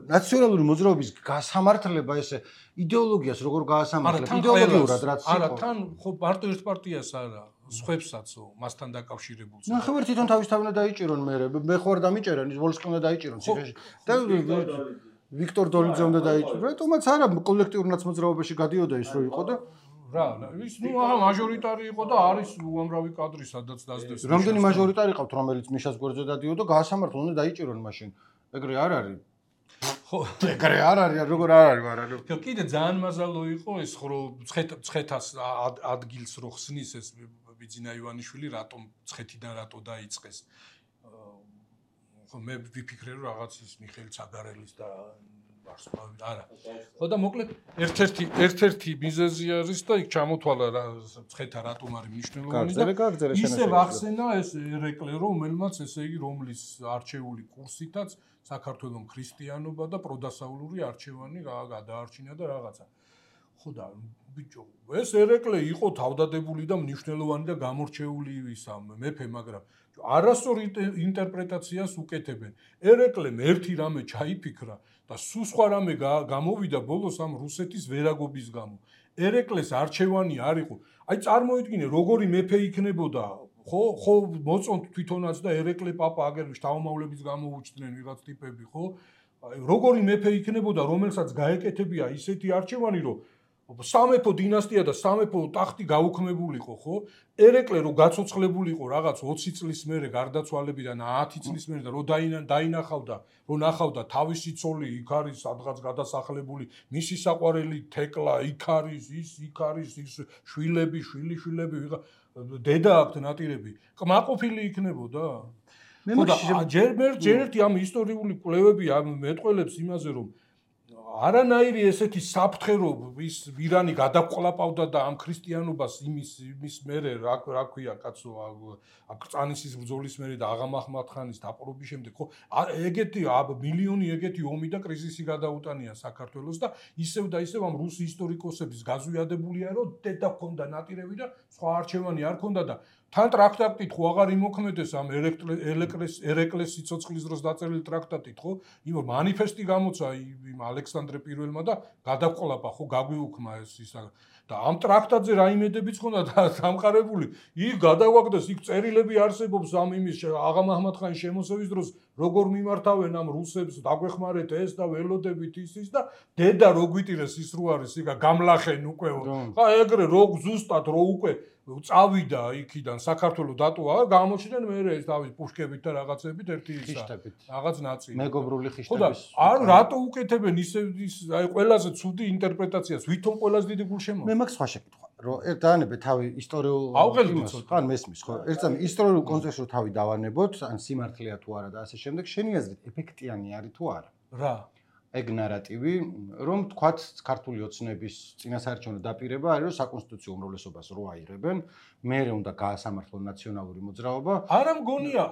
ნაციონალური მოძრაობის გასამართლება ესე იდეოლოგიას როგორ გაასამართლებ იდეოლოგიურად რაც იყო არა თან ხო მარტო ერთ პარტიას არა სხვებსაცო მასთან დაკავშირებულს ნახევარ თვითონ თავისთავად დაიჭირონ მე ხო არ დამიჭერენ ის ვოლსკი უნდა დაიჭირონ ციხეში და ვიქტორ დოლიძე უნდა დაიჭირონ რატომაც არა კოლექტიურ ნაცმოძრაობაში გადიოდა ის რო იყო და რა ის ნუ მაჟორიტარი იყო და არის უამრავი კადრი სადაც დაძდევს რამდენი მაჟორიტარი ყავთ რომელიც მიშას გვერდზე დადიოდა გაასამართლონ უნდა დაიჭირონ მაშინ ეგრე არ არის ხო ეგრე არ არის როგორ არ არის მაგრამ კიდე ძალიან მაზალო იყო ეს ხო ცხეთას ადგილს რო ხსნის ეს ბიძინა ივანიშვილი რატომ ცხეთიდან რატო დაიწყეს ხო მე ვიფიქრე რომ რაღაც ის მიხეილ ცაგარელის და არა. ხო და მოკლედ ერთ-ერთი მიზეზი არის და იქ ჩამოთვალა რა ცხეთა რატომ არის მნიშვნელოვანი და ისე ვახსენა ეს ერეკლე რომელმაც ესე იგი რომლის არჩეული კურსითაც საქართველოს ქრისტიანობა და პროდასავლური არჩევანი გადაარჩინა და რაღაცა. ხო და ბიჭო ეს ერეკლე იყო თავდადებული და მნიშვნელოვანი და გამორჩეული ისა მეფე მაგრამ არასწორ ინტერპრეტაციას უკეთებენ. ერეკლემ ერთი რამე ჩაიფიქრა და სულ სხვა რამე გამოვიდა ბოლოს ამ რუსეთის ვერაგობის გამო. ერეკლეს არჩევანი არ იყო. აი წარმოიდგინე როგორი მეფე იქნებოდა ხო მოწონთ თვითონაც და ერეკლე პაპა აგერ შთამომავლების გამოუჩდნენ ვიღაც ტიპები ხო? როგორი მეფე იქნებოდა რომელსაც გაეკეთებია ისეთი არჩევანი რომ სამეფო დინასტია და სამეფო ტახტი გაუქმებულიყო, ხო? ერეკლე რო გაცოცხლებულიყო რაღაც 20 წლის მერე გარდაცვალებიდან 10 წლის მერე და რო დაინახავდა, რო ნახავდა თავისი ცოლი იქ არის სადღაც გადასახლებული, მისი საყვარელი თეკლა იქ არის, იქ არის ის შვილები, შვილიშვილები, დედა აქვთ ნატირები. კმაყოფილი იქნებოდა? ჯერ ერთი ამ ისტორიული კვლევები მეტყველებს იმაზე რომ არანაირი ესეთი საფრთხე რომ ის ირანი გადაყლაპავდა და ამ ქრისტიანობას იმის მერე რა ქვია კაცო აკრწანისის ბრძოლის მერე და აღამ აჰმად-ხანის დაპყრობის შემდეგ ხო ეგეთი მილიონი ეგეთი ომი და კრიზისი გადაუტანია საქართველოს და ისევ და ისევ ამ რუსი ისტორიკოსების გაზვიადებულია რომ დედა ქონდა ნატირები და სხვა არჩევანი არ ქონდა და თან ტრაქტატით ხო აღარ იმოქმედეს ამ ერეკლეს სიცოცხლის დროს დაწერილი ტრაქტატით ხო? იმ მანიფესტი გამოცა იმ ალექსანდრე პირველმა და გადაყოლაპა ხო გაგვიუქმა ეს ის და ამ ტრაქტატზე რა იმედებიც ხონდა დამყარებული. იქ გადაგვაგდეს, იქ წერილები არსებობს ამ იმის აღა მაჰმად-ხანის შემოსევის დროს როგორ მიმართავენ ამ რუსებს, დაგვეხმარეთ ეს და ველოდებით ის და დედა რო გვიტირეს ის რო არის, იქა გამლახენ უკეო. ხა ეგრე რო ზუსტად რო უკვე წავიდა იქიდან საქართველოს დატოვა, გამოჩნდნენ მე ეს თავის პუშკებით და რაღაცებით ერთი ისა. რაღაც ნაწილი. მეგობრული ხო და ხიშტების. არ რატო უკეთებენ ისე აი ყველაზე ცუდი ინტერპრეტაციას, ვითომ ყველაზე დიდი გულშემო. მე მაქვს სხვა შეკითხვა, რომ დაანებე თავი ისტორიულ ავღელდით ხან მესმის ხო? ერთსა ისტორიულ კონტექსტში თავი დავანებოთ, ან სიმართლეა თუ არა და ასე შემდეგ, შენი აზრით ეფექტიანი არის თუ არა? რა? ეგ ნარატივი, რომ თქვათ ქართული ოცნების წინასაარჩევნო დაპირება არის, რომ საკონსტიტუციო უმრავლესობას რო აიღებენ, მერე უნდა გაასამართლონ ნაციონალური მოძრაობა. არა მგონია,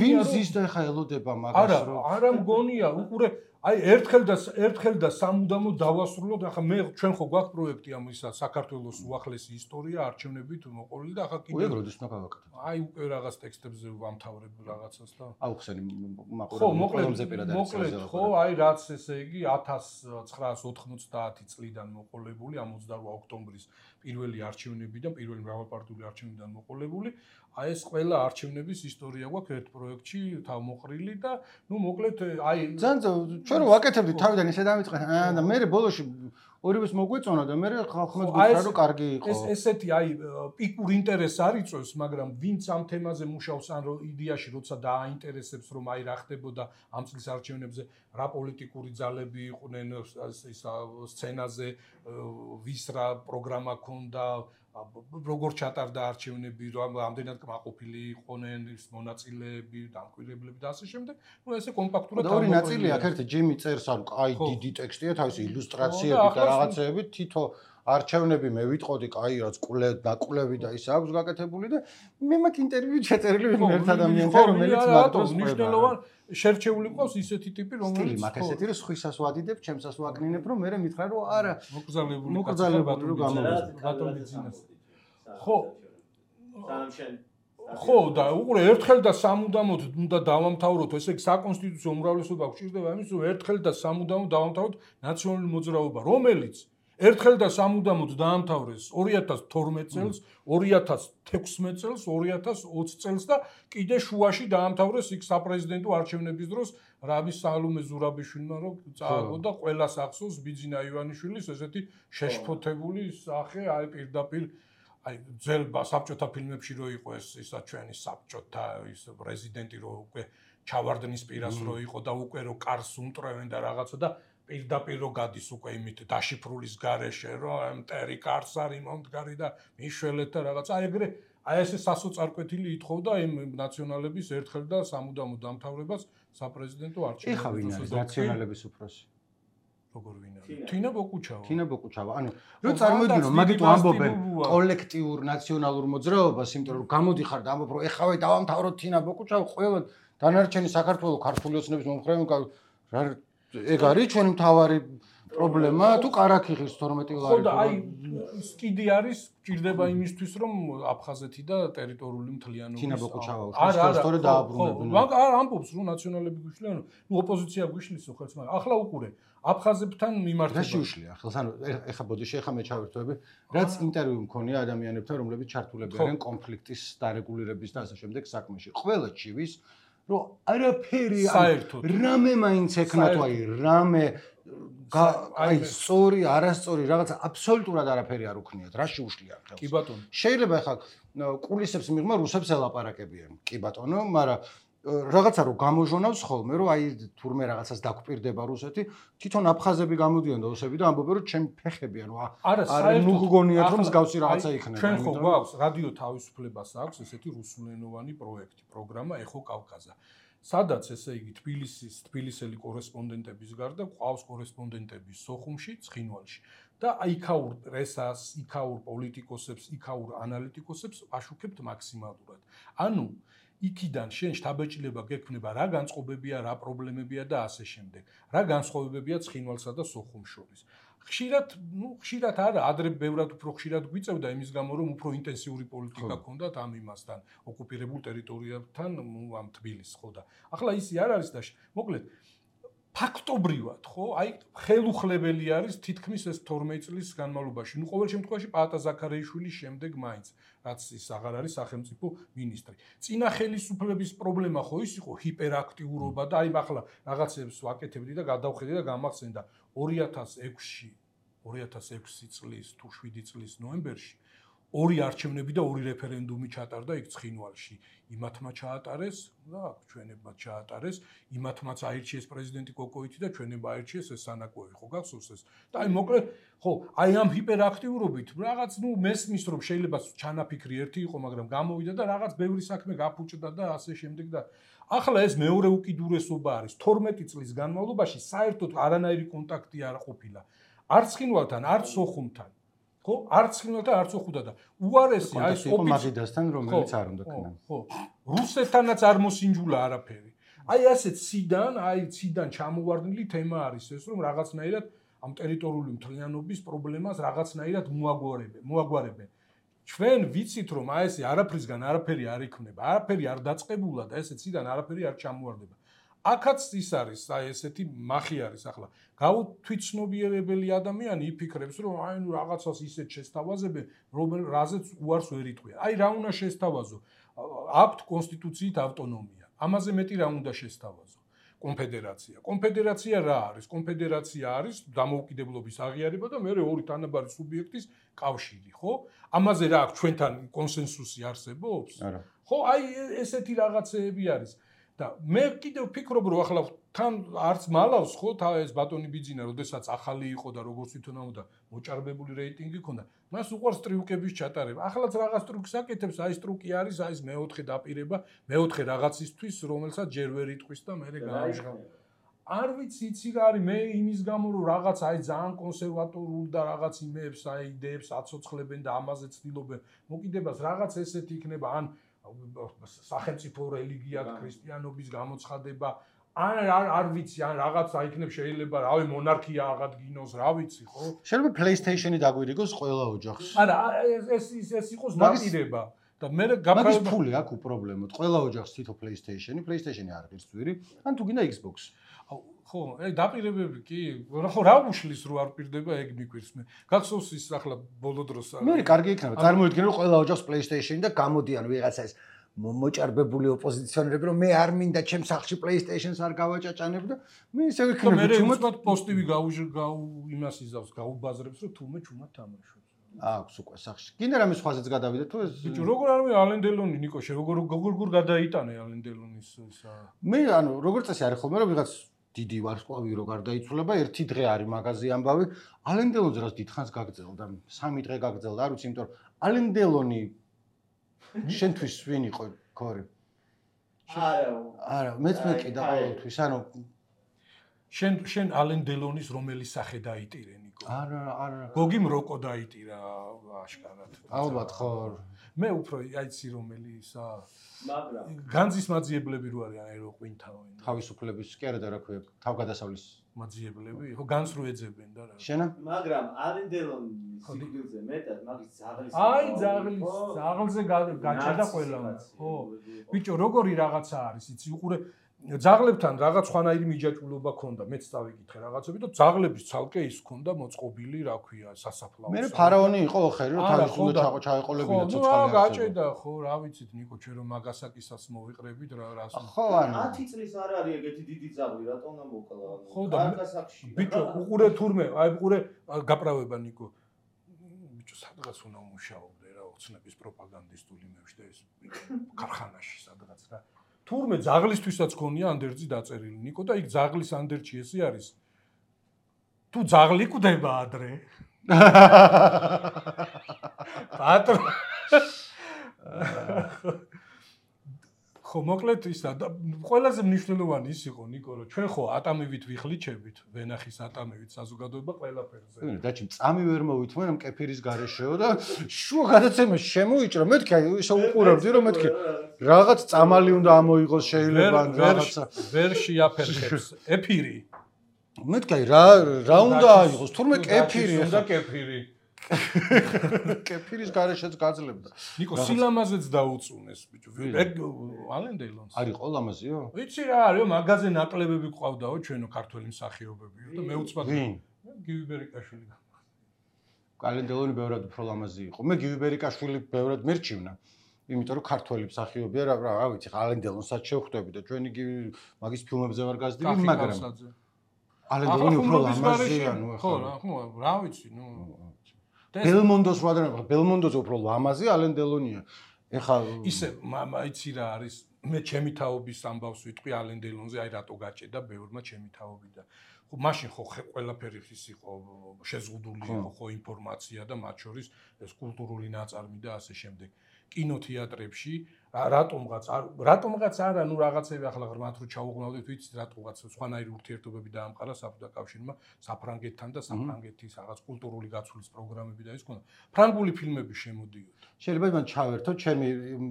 ვინ ზის და ეხა ელოდება მაგას რომ არა მგონია, უყურე აი ერთხელ და სამუდამოდ დავასრულოთ. ახლა მე ჩვენ ხო გვაქვს პროექტი ამ ისა საქართველოს უახლესი ისტორია არჩევნებით მოყოლილი და ახლა კიდე როდის უნდა გავაკეთოთ? აი უკვე რაღაც ტექსტებზე ვამთავრებ რაღაცას და აუხსენი ხო მოკლედ ხო აი რაც ესე იგი 1990 წლიდან მოყოლებული ამ 28 ოქტომბრის პირველი არჩევნებიდან პირველი მრავალპარტიული არჩევნებიდან მოყოლებული აი ეს ყველა არჩევნების ისტორია გვაქვს ერთ პროექტში თავმოყრილი და ნუ მოკლედ აი ჩვენ რო ვაკეთებდით თავიდან ისე დამიწყეთ და მე ბოლოში ორივეს მოგვეწონა და მე ხალხმა გითხრა რომ კარგი იყო. ესეთი აი პიკურ ინტერესს არ იწვევს, მაგრამ ვინც ამ თემაზე მუშაობს ან იდეაში როცა დააინტერესებს რომ აი რა ხდებოდა ამ წლის არჩევნებზე, რა პოლიტიკური ძალები იყვნენ ის სცენაზე, ვის რა პროგრამა ქონდა, როგორ ჩატარდა არჩევნები, რამდენად კმაყოფილი იყვნენ ის მონაწილეები, დამკვირვებლები და ასე შემდეგ. ნუ ესე კომპაქტურად ორი ნაწილი აქ ერთი ჯიმი წერს, ანუ კაი დიდი ტექსტია, თავისი ილუსტრაციები და რაღაცეები, თითო არჩევნები მე ვიტყოდი, კაი რაც კულები და ის აქვს გაკეთებული და მე მაქვს ინტერვიუ ჩაწერილი ერთ ადამიანთან, რომელიც მაგდროს მნიშვნელოვან შერჩეული ყავს ისეთი ტიპი, რომელიც მაგ ესეთი რომ სხვისას ვადიდებ, ჩემსას ვაკნინებ, რომ მე მითხრა რომ არა, მოკრძალებული რომ გამოვიდა. ხო. ხო და უყურე ერთხელ და სამუდამოდ უნდა დავამთავროთ, ესე იგი საკონსტიტუციო უმრავლესობა გვჭირდება იმის, რომ ერთხელ და სამუდამოდ დავამთავროთ ნაციონალური მოძრაობა, რომელიც ერთხელ და სამუდამოდ დაამთავრეს 2012 წელს, 2016 წელს, 2020 წელს და კიდე შუაში დაამთავრეს იქ საპრეზიდენტო არჩევნების დროს რაბის სალომე ზურაბიშვილმა რომ წააგო და ყველას ახსოვს ბიძინა ივანიშვილის ესეთი შეშფოთებული სახე აი პირდაპირ აი ძელ საბჭოთა ფილმებში რო იყო ეს ისა ჩვენი საბჭოთა ის პრეზიდენტი რო უკვე ჩავარდნის პირას რო იყო და უკვე რო კარს უმტრევენ და რაღაცა და პირდაპირ რო გადის უკვე იმით დაშიფრულის გარეშე რომ მტერი კარს არის მომდგარი და მიშველეთ და რაღაცა აი ეგრე აი ესე სასოწარკვეთილი ითხოვდა იმ ნაციონალების ერთხელ და სამუდამოდ დამთავრებას საპრეზიდენტო არჩევნებში. ეხა ვინ არის ნაციონალების უფროსი? როგორ ვინ არის? თინა ბოკუჩავა. თინა ბოკუჩავა. ანუ რო წარმოვიდგინო, მაგითო ამბობენ კოლექტიურ ნაციონალურ მოძრაობას, იმიტომ რომ გამოდიხარ და ამბობ რომ ეხავე დავამთავროთ თინა ბოკუჩავა, ყველა დანარჩენი საქართველოს ქართული ოცნების მომხრეები რა ეგ არის ჩვენი მთავარი პრობლემა თუ ყარაქიხის 12 ლარი. ხო და აი ის კიდე არის ჭირდება იმისთვის რომ აფხაზეთი და ტერიტორიული მთლიანობის თინა ბოკუჩავა უშუალოდ დააბრუნებენ. არ ამბობს რომ ნაციონალები გვიშლიან, ნუ ოპოზიცია გვიშლისო ხელს, მაგრამ ახლა უყურე აფხაზებთან მიმართება. რა შეუშლია ხელს? ანუ ეხა ბოდიში ეხა მე ჩავერთვები, რაც ინტერვიუ მქონია ადამიანებთან, რომლებიც ჩართულები არიან კონფლიქტის დარეგულირების და ასე შემდეგ საქმეში. ყველა ჩივის რომ არაფერი რამე მაინც ეკნა თუ აი რამე აი სწორი არასწორი რაღაცა აბსოლუტურად არაფერი არ უქნიათ რა შეუშლია ხელს. კი ბატონო. შეიძლება ახლა კულისებს მიღმა რუსებს ელაპარაკებიან. კი ბატონო, მაგრამ რაღაცა რომ გამოჟონავს ხოლმე რომ აი თურმე რაღაცას დაგვპირდება რუსეთი, თვითონ აფხაზები გამოდიან და ოსები და ამბობენ რომ ჩემი ფეხები ანუ არ მოგგონიათ რომ მსგავსი რაღაცა იქნება. ჩვენ ხო გვაქვს რადიო თავისუფლებას აქვს ესეთი რუსულენოვანი პროექტი, პროგრამა ეხო კავკაზა. სადაც ესე იგი თბილისელი კორესპონდენტების გარდა ყავს კორესპონდენტები სოხუმში, ცხინვალში და იქაურ პრესას, იქაურ პოლიტიკოსებს, იქაურ ანალიტიკოსებს აშუქებთ მაქსიმალურად. ანუ იქიდან შენ შთაბეჭდილება გექნება რა განწყობებია, რა პრობლემებია და ასე შემდეგ. რა განსხვავებებია ცხინვალსა და სოხუმს შორის. ხშირად არა, ადრე ბევრად უფრო ხშირად გვიწევდა იმის გამო, რომ უფრო ინტენსიური პოლიტიკა ჰქონდათ ამ იმასთან, ოკუპირებულ ტერიტორიებთან, ამ თბილისს, ხო და. ახლა ისი არ არის და მოკლედ ფაქტობრივად, ხო? აი ხელუხლებელი არის თითქმის ეს 12 წლის განმავლობაში. ყოველ შემთხვევაში პაატა ზაქარიაშვილის შემდეგ მაინც, რაც ის აღარ არის სახელმწიფო მინისტრი. წინა ხელისუფლების პრობლემა ხო ის იყო ჰიპერაქტიურობა და აი ახლა რაღაცებს ვაკეთებდი და გადავხედე და გამახსენდა 2006 წლის თუ 7 წლის ნოემბერში ორი არჩევნები და ორი რეფერენდუმი ჩატარდა იქ ცხინვალში. იმათმა ჩაატარეს და ჩვენებმა ჩაატარეს, იმათმაც აირჩიეს პრეზიდენტი კოკოიტი და ჩვენებმა აირჩიეს ეს სანაკოევი, ხო გახსოვს ეს? და აი მოკლედ, ხო, აი ამ ჰიპერაქტიურობით რაღაც მესმის რომ შეიძლება ჩანაფიქრი ერთი იყო, მაგრამ გამოვიდა და რაღაც ბევრი საქმე გაფუჭდა და ასე შემდეგ და ახლა ეს მეორე უკიდურესობა არის 12 წლის განმავლობაში საერთოდ არანაირი კონტაქტი არ ყოფილა. არც ცხინვალთან, არც სოხუმთან. ხო, არც ხილოთა არც ოხუდა და უარესი აი ეს ოპოზიციასთან რომელიც არ უნდა ქნან. ხო, რუსეთთანაც არ მოსინჯულა არაფერი. აი ასეთ ციდან ჩამოვარდნილი თემა არის ეს, რომ რაღაცნაირად ამ ტერიტორიული მთლიანობის პრობლემას რაღაცნაირად მოაგვარებენ. ჩვენ ვიცით რომ აი ესე არაფრისგან არაფერი არ იქნება, არაფერი არ დაწყებულა და ესე ციდან არაფერი არ ჩამოვარდება. აქაც ის არის, აი ესეთი მახი არის ახლა. გაუთვითცნობიერებელი ადამიანი იფიქრებს, რომ აი ნუ რაღაცას ისეთ შესთავაზებენ, რაზეც უარს ვერ იტყვია. აი რა უნდა შესთავაზო? აქვთ კონსტიტუციით ავტონომია. ამაზე მეტი რა უნდა შესთავაზო? კონფედერაცია. კონფედერაცია რა არის? კონფედერაცია არის დამოუკიდებლობის აღიარება და მეორე ორი თანაბარი სუბიექტის კავშირი, ხო? ამაზე რა აქვს ჩვენთან კონსენსუსი არსებობს? არა. ხო, აი ესეთი რაღაცეები არის. და მე კიდევ ვფიქრობ რომ ახლა თან არც მალავს ხო ეს ბატონი ბიძინა როდესაც ახალი იყო და როგორც თვითონ ამოდა მოჭარბებული რეიტინგი ჰქონდა მას უყვარს ტრიუკების ჩატარება ახლაც რაღაც ტრუკს აკეთებს აი ეს ტრუკი არის აი ეს მეოთხე დაპირება მეოთხე რაღაცისთვის რომელსაც ჯერ ვერ იტყვის და მე გაამჟღავ არ ვიცი იცი რა არის მე იმის გამო რომ რაღაც აი ძალიან კონსერვატორულ და რაღაც იმეებს აი იდეებს აცოცხლებენ და ამაზე ცდილობენ მოკიდებას რაღაც ესეთი იქნება ან სახელმწიფო რელიგია ქრისტიანობის გამოცხადება არ ვიცი ან რაღაცა იქნებს შეიძლება რავი მონარქია აღადგინოს რა ვიცი ხო შეიძლება PlayStation-ი დაგვირიგოს ყველა ოჯახს არა ეს იყოს დაპირება და მე მაგის ფული აქვს პრობლემოთ ყველა ოჯახს თითო PlayStation-ი არ ღირს ძვირი ან თუ გინდა Xbox ხო, დაპირებები კი, ხო რა უშლის რო არ პირდება ეგ მიკვირს მე. გახსოვს ის ახლა ბოლო დროს მე კარგი იქნება. წარმოიდგინე რომ ყველა ოჯახს PlayStation-ი და გამოდიან ვიღაცა ეს მოჭარბებული ოპოზიციონერები რომ მე არ მინდა ჩემს სახლში PlayStation-ს არ გავაჭაჭანებ და მე ისე ვიქნები თუმცა მე უცბად პოსტივი იმას იზავს გაუბაზრებს რომ თუმე ჩუმად თამაშობს. აქვს უკვე სახში. გინდა რამე სხვაზეც გადავიდე თუ ეს ბიჭო როგორ არ მე ალენ დელონი ნიკოშე როგორ გადაიტანე ალენ დელონის ისა მე ანუ როგორც წესი არის ხოლმე რომ ვიღაც დიდი ვარსკვლავი რო გარდაიცვლება, ერთი დღე არის მაგაზი ამბავი. ალენ დელონზე რაც დიდხანს გაგრძელდა, 3 დღე გაგრძელდა, არ ვიცი, იმიტომ რომ ალენ დელონი შენთვის ვინ იყო, ქორი? არა, მეც მეკიდა ყოველთვის, ანუ შენ ალენ დელონის რომელი სახე დაიტირე, ნიკო? არა. გოგიმ როკო დაიტირა აშკარად. ალბათ ხო. მე უფრო აიცი რომელი ისა მაგრამ განძის მაძიებლები რო არიან აი რო ყვინთავენ თავისუფლების კი არა და რა ქვია თავგადასავლის მაძიებლები ხო განს რო ეძებენ და რა შენა მაგრამ ალენ დელონის სიგილზე მეტად მაგის ძაღლის აი ძაღლზე გაჭედა ყველამ ხო ბიჭო როგორი რაღაცა არის იცი უყურე ძაღლებთან რაღაც სხვანაირი მიჯაჭვულობა ქონდა მეც წავიკითხე რაღაცები და ძაღლების ცალკე ის ქონდა მოწყობილი რა ქვია სასაფლაოს მე ფარაონი იყო ხერი რომ თავის უნდა ჩაეყოლებინა ცოცხალი გაჭედა ხო რა ვიცით ნიკო ჩვენ რომ მაგასაკისას მოვიყრებით რას ხო ანუ 10 წლის არ არის ეგეთი დიდი ძაღლი რატომ უნდა მოკლა ხო და ბიჭო უყურე თურმე აი უყურე გაправება ნიკო ბიჭო სადღაც უნდა მუშაობდე რა ოცნების პროპაგანდისტული მეუშტე ეს ქარხანაში სადღაც რა თურმე ძაღლისთვისაც ქონია ანდერძი დაწერილი ნიკო და იქ ძაღლის ანდერჩი ესე არის თუ ძაღლი კვდება ადრე პატრო ხო მოკლედ ისა და ყველაზე მნიშვნელოვანი ის იყო ნიკო რომ ჩვენ ხო ატამივით ვიხლიჩებით ვენახის ატამივით საზოგადოება ყველაფერზე დაჩი წამი ვერ მოვითმენ ამ კეფირის გარეშეო და შუა გადაცემა შემოიჭრა მეთქი ისე უყურავდი რომ მეთქი რაღაც წამალი უნდა ამოიღოს შეიძლება რაღაცა ვერ შეაფერხებს ეფირი მეთქი რა უნდა აიღოს თურმე კეფირი უნდა კეფირი კეფირის გარეშეც გაძლებდა ნიკო სილამაზეც დაუწუნეს ბიჭო ალენ დელონს არის ყო ლამაზიო ვიცი რა არისო მაგაზე ნაკლებები ყავდაო ჩვენო ქართველი მსახიობებიო და მე უცბად გივი ბერიკაშვილი ალენ დელონი ბევრად უფრო ლამაზი იყო მე გივი ბერიკაშვილი ბევრად მერჩივნა იმიტომ რომ ქართველი მსახიობია რა ვიცი ალენ დელონსაც შევხვდები და ჩვენი გივი მაგის ფილმებზე ვარ გაზრდილი მაგრამ ალენ დელონი უფრო ლამაზია ნუ ხო რა ვიცი ნუ ბელმონდოს ვადრა ბელმონდოზე უფრო ლამაზი ალენ დელონია ეხა ისე იცი რა არის მე ჩემი თაობის ამბავს ვიტყვი ალენ დელონზე აი რატო გაჭედა ბევრმა ჩემი თაობიდან ხო მაშინ ხო ყველაფერი ის იყო შეზღუდული იყო ხო ინფორმაცია და მათ შორის ეს კულტურული ნაწარმი და ასე შემდეგ კინოთეატრებში რატომღაც არა ნუ რაღაცები ახლა მათ რო ჩაუღვნავდით ვიცით რატომღაც სხვანაირი ურთიერთობები დაამყარა საბჭოთა კავშირმა საფრანგეთთან და საფრანგეთის რაღაც კულტურული გაცვლის პროგრამები და ის ქონდა ფრანგული ფილმები შემოდიოდა შეიძლება მან ჩავერთო ჩემი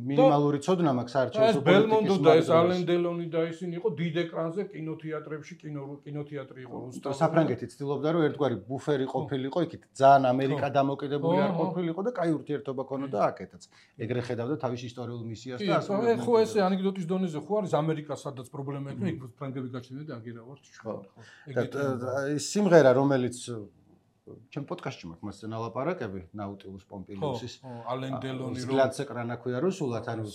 მინიმალური ცოდნა მაქვს საერთაშორისო ბელმონდო და ეს ალენ დელონი და ისინი იყო დიდ ეკრანზე კინოთეატრებში კინოთეატრი იყო რუსთავი საფრანგეთი ცდილობდა რომ ერთგვარი ბუფერი ყოფილიყო იქით ძალიან ამერიკა დამოკიდებული არ ყოფილიყო და კაი ურთიერთობა ქონოდა აკეთაც ეგრე ხედავდა თავის ისტორიულ მისიას და ასე ხო ესე ანეკდოტის დონეზე ხო არის ამერიკა სადაც პრობლემა ექნება იქ ფრანგები გაჩნდნენ და აგერა ვარ ჩვენ ხო ეს სიმღერა რომელიც ჩემ პოდკასტში მაქვს მასზე ნალაპარაკები ნაუტილუს პომპილიუსის ალენ დელონი რომ გლაცეკრანა ქვია რუსულად ანუ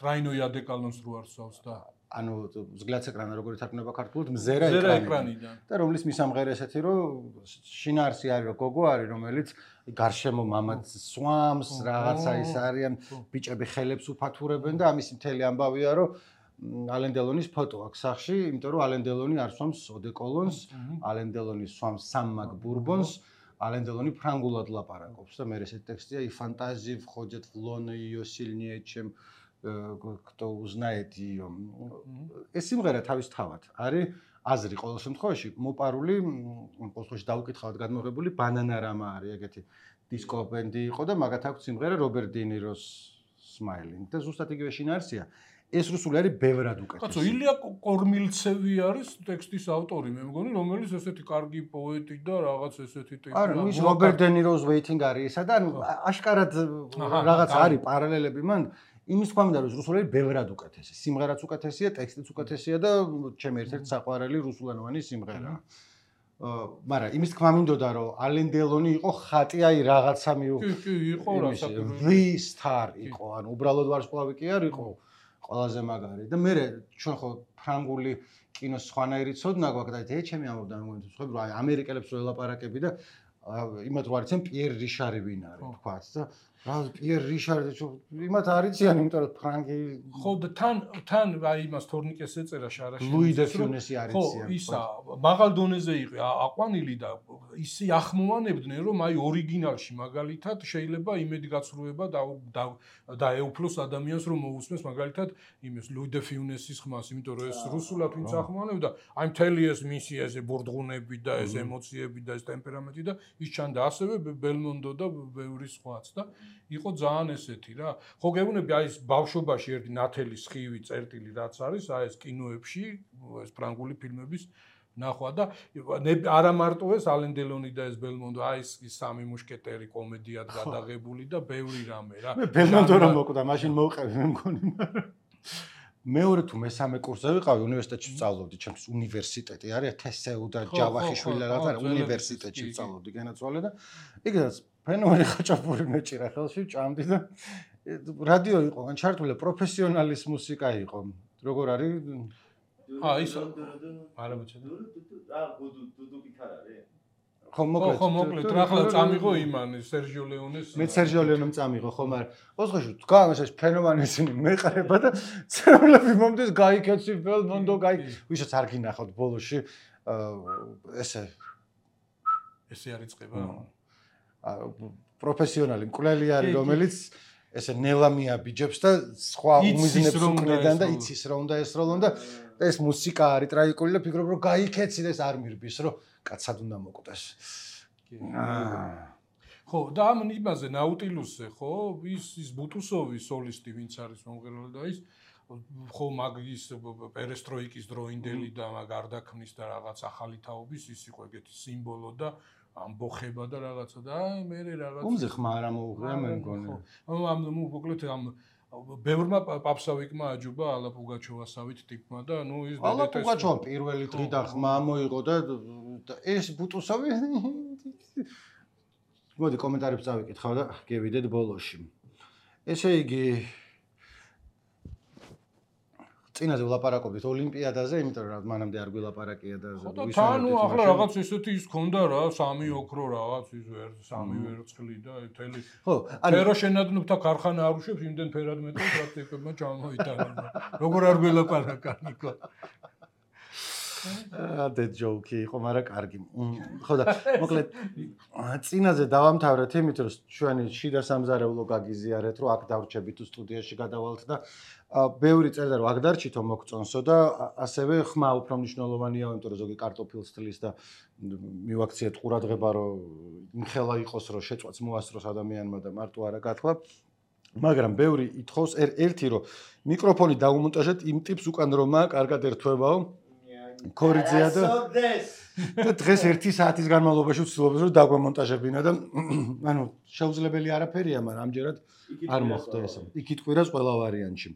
ტრაინო იადეკალონს რო არსავს და ანუ ზგლაცეკრანა როგორ ითარგმნება ქართულად მზერა ეკრანიდან და რომლის მისამღერე ესეთი რომ შინაარსი არის რომ გოგო არის რომელიც გარშემო მამაც სვამს რაღაცა ის არიან ბიჭები ხელებს უფათურებენ და ამის მთელი ამბავია რომ ალენ დელონის ფოტო აქვს სახში იმიტომ რომ ალენ დელონი არ სვამს ოდეკოლონს ალენ დელონი სვამს სამმაგ ბურბონს ალენ დელონი ფრანგულად ლაპარაკობს და მე ესეთი ტექსტია и фантазии входят в лоно её сильнее чем кто узнает её ეს სიმღერა თავის თავად არის აზრი ყოველ შემთხვევაში მოპარული ყოველ შემთხვევაში დაუკითხავად გადმოღებული ბანანარამა არის ეგეთი დისკო ბენდი იყო და მაგათ აქვს სიმღერა რობერტ დი ნიროს Smiling და ზუსტად იგივე შინაარსია ეს რუსული არის ბევრად უკეთესი. კაცო, ილია კორმილცევი არის ტექსტის ავტორი, მე მგონი, რომელიც ესეთი კარგი პოეტი და რაღაც ესეთი ტექსტი. არა, ის რობერტ დე ნიროს waiting არის ისა და აშკარად რაღაც არის პარალელები მან. იმის თქვა მინდა რომ რუსული არის ბევრად უკეთესი. სიმღერაც უკეთესია, ტექსტიც უკეთესია და ჩემი ერთ-ერთი საყვარელი რუსულენოვანი სიმღერაა. მაგრამ იმის თქვა მინდოდა რომ ალენ დელონი იყო ხატი აი რაღაცა კი, იყო რა საკუთარი. V star იყო, ანუ უბრალოდ ვარსკვლავი კი არ იყო. ყველაზე მაგარი და მე ჩვენ ხო ფრანგული კინოს სხვანაირი ცოდნა გვაქვს და ჩემი ამბობდა მე მგონი თქვი რომ აი ამერიკელებს რო ელაპარაკები და იმათ რო არიციან პიერ რიშარი ვინ არის თქვაც და რა პიერ რიშარი იმათ არიციან იმიტომ რომ ფრანგი ხო და თან აი იმას თორნიკეს ეწერა შარაში ლუი დე ფიუნესი არიციან ხო ისა მაღალ დონეზე იყო აყვანილი და ისე ახმოვანებდნენ რომ აი ორიგინალში მაგალითად შეიძლება იმედი გაცრუება და ეუფლოს ადამიანს რომ მოусმეს მაგალითად იმის ლუი დე ფიუნესის ხმას იმიტომ რომ ეს რუსულად ვინც ახმოვანებდა აი მთელი ეს მისიაზე ბორდღუნები და ეს ემოციები და ეს ტემპერამენტი და ის ჩანდა ასევე ბელმონდო და ბევრი სხვაც და იყო ძალიან ესეთი რა. ხო გეუბნები აი ეს ბავშვობაში ერთი ნათელი სხივი წერტილი რაც არის, აი ეს კინოებში, ეს ფრანგული ფილმების ნახვა და არა მარტო ეს ალენ დელონი და ეს ბელმონდო, აი ეს სამი მუშკეტერი კომედიად გადაღებული და ბევრი რამე რა. მე ბელმონდო რომ მოკვდა, მაშინ მოვყევი მე მგონი, მაგრამ მეორე თუ მესამე კურსზე ვიყავი უნივერსიტეტში ვსწავლობდი, ჩემს უნივერსიტეტი არის თესეუ და ჯავახიშვილი რაღაც არის, უნივერსიტეტში ვსწავლობდი განაცვალე და იქაც ფენომენი ხაჭაპური მეჭირა ხელში ჭამდი და რადიო იყო ან ჩართული პროფესიონალის მუსიკა იყო როგორ არის ის არა მოჩვენა რა დუდუ გიტარა არის ხო მოკლედ რა ახლა წამიღო იმანი სერჟიო ლეონეს მე სერჟიო ლეონემ წამიღო ხო მაგრამ ოცხოში თქვა ეს ფენომენი ისინი მეყარება და ცერლები მომდის გაიქეცი ბელმონდო ვისაც არ გინახავთ ბოლოში ესე არიწყება პროფესიონალი მკვლელი არის რომელიც ესე ნელამია ბიჯებს და სხვა უმიზნებს უკნიდან და იცის რომ უნდა ესროლონ და ეს მუსიკა არის ტრაიკული და ფიქრობ რომ გაიქეცი და ეს არ მირბის რომ კაცად უნდა მოკვდეს. ხო და ამ იმაზე ნაუტილუსზე ხო ის ბუტუსოვი სოლისტი ვინც არის მომღერალი და ის ხო მაგის პერესტროიკის დროინდელი და მაგ გარდაქმნის და რაღაც ახალი თაობის ის იყო ეგეთი სიმბოლო და ამბოხება და რაღაცა და მე რაღაც ომზე ხმა არ მოუღია მე მგონი. ამ მოკლედ ამ ბევრმა პაპსავიკმა აჯობა ალა პუგაჩოვასავით ტიპმა და ნუ ის ალა პუგაჩოვა პირველი დღიდან ხმა მოიღო და ეს ბუტუსოვი მოდი კომენტარებს წავიკითხავ და გევიდეთ ბოლოში. ესე იგი წინაზე ვლაპარაკობთ ოლიმპიადაზე, იმიტომ რომ მანამდე არ გვილაპარაკია და ხო და თან ნუ ახლა რაღაც ესეთი ის ქონდა რა, სამი ოქრო რაღაც ის სამი ვერცხლი და თელი. ხო, ფეროშენადნობდა ქარხანა არ უშვებს, იმდენ ფერად მეტყვი პრაქტიკებმა ჩამოიტანა. როგორ არ გვილაპარაკა ნიკო. და ჯოკი იყო, მაგრამ კარგი. ხო და მოკლედ წინაზე დავამთავრეთ იმით, რომ ჩვენი შიდა სამზარეულო გაგიზიარეთ, რომ აქ დავრჩებით თუ სტუდიაში გადავალთ და ბევრი წერდა რომ აქ დარჩითო მოგწონსო და ასევე ხმა უფრო მნიშვნელოვანია, იმიტომ რომ ზოგი კარტოფილს თლის და მივაქციეთ ყურადღება, რომ იმხელა იყოს, რომ შეწვაც მოასწროს ადამიანმა და მარტო არა გათქვა. მაგრამ ბევრი ითხოვს ერთი რომ მიკროფონი დაუმონტაჟეთ იმ ტიპს უკან რომაა, კარგად ერთვებაო. ქორიძეა და დღეს 1 საათის განმავლობაში ვცდილობთ რომ დაგვემონტაჟებინა და ანუ შეუძლებელი არაფერია, მაგრამ ამჯერად არ მოხდა ეს. იქით ყვირას ყველა ვარიანტში.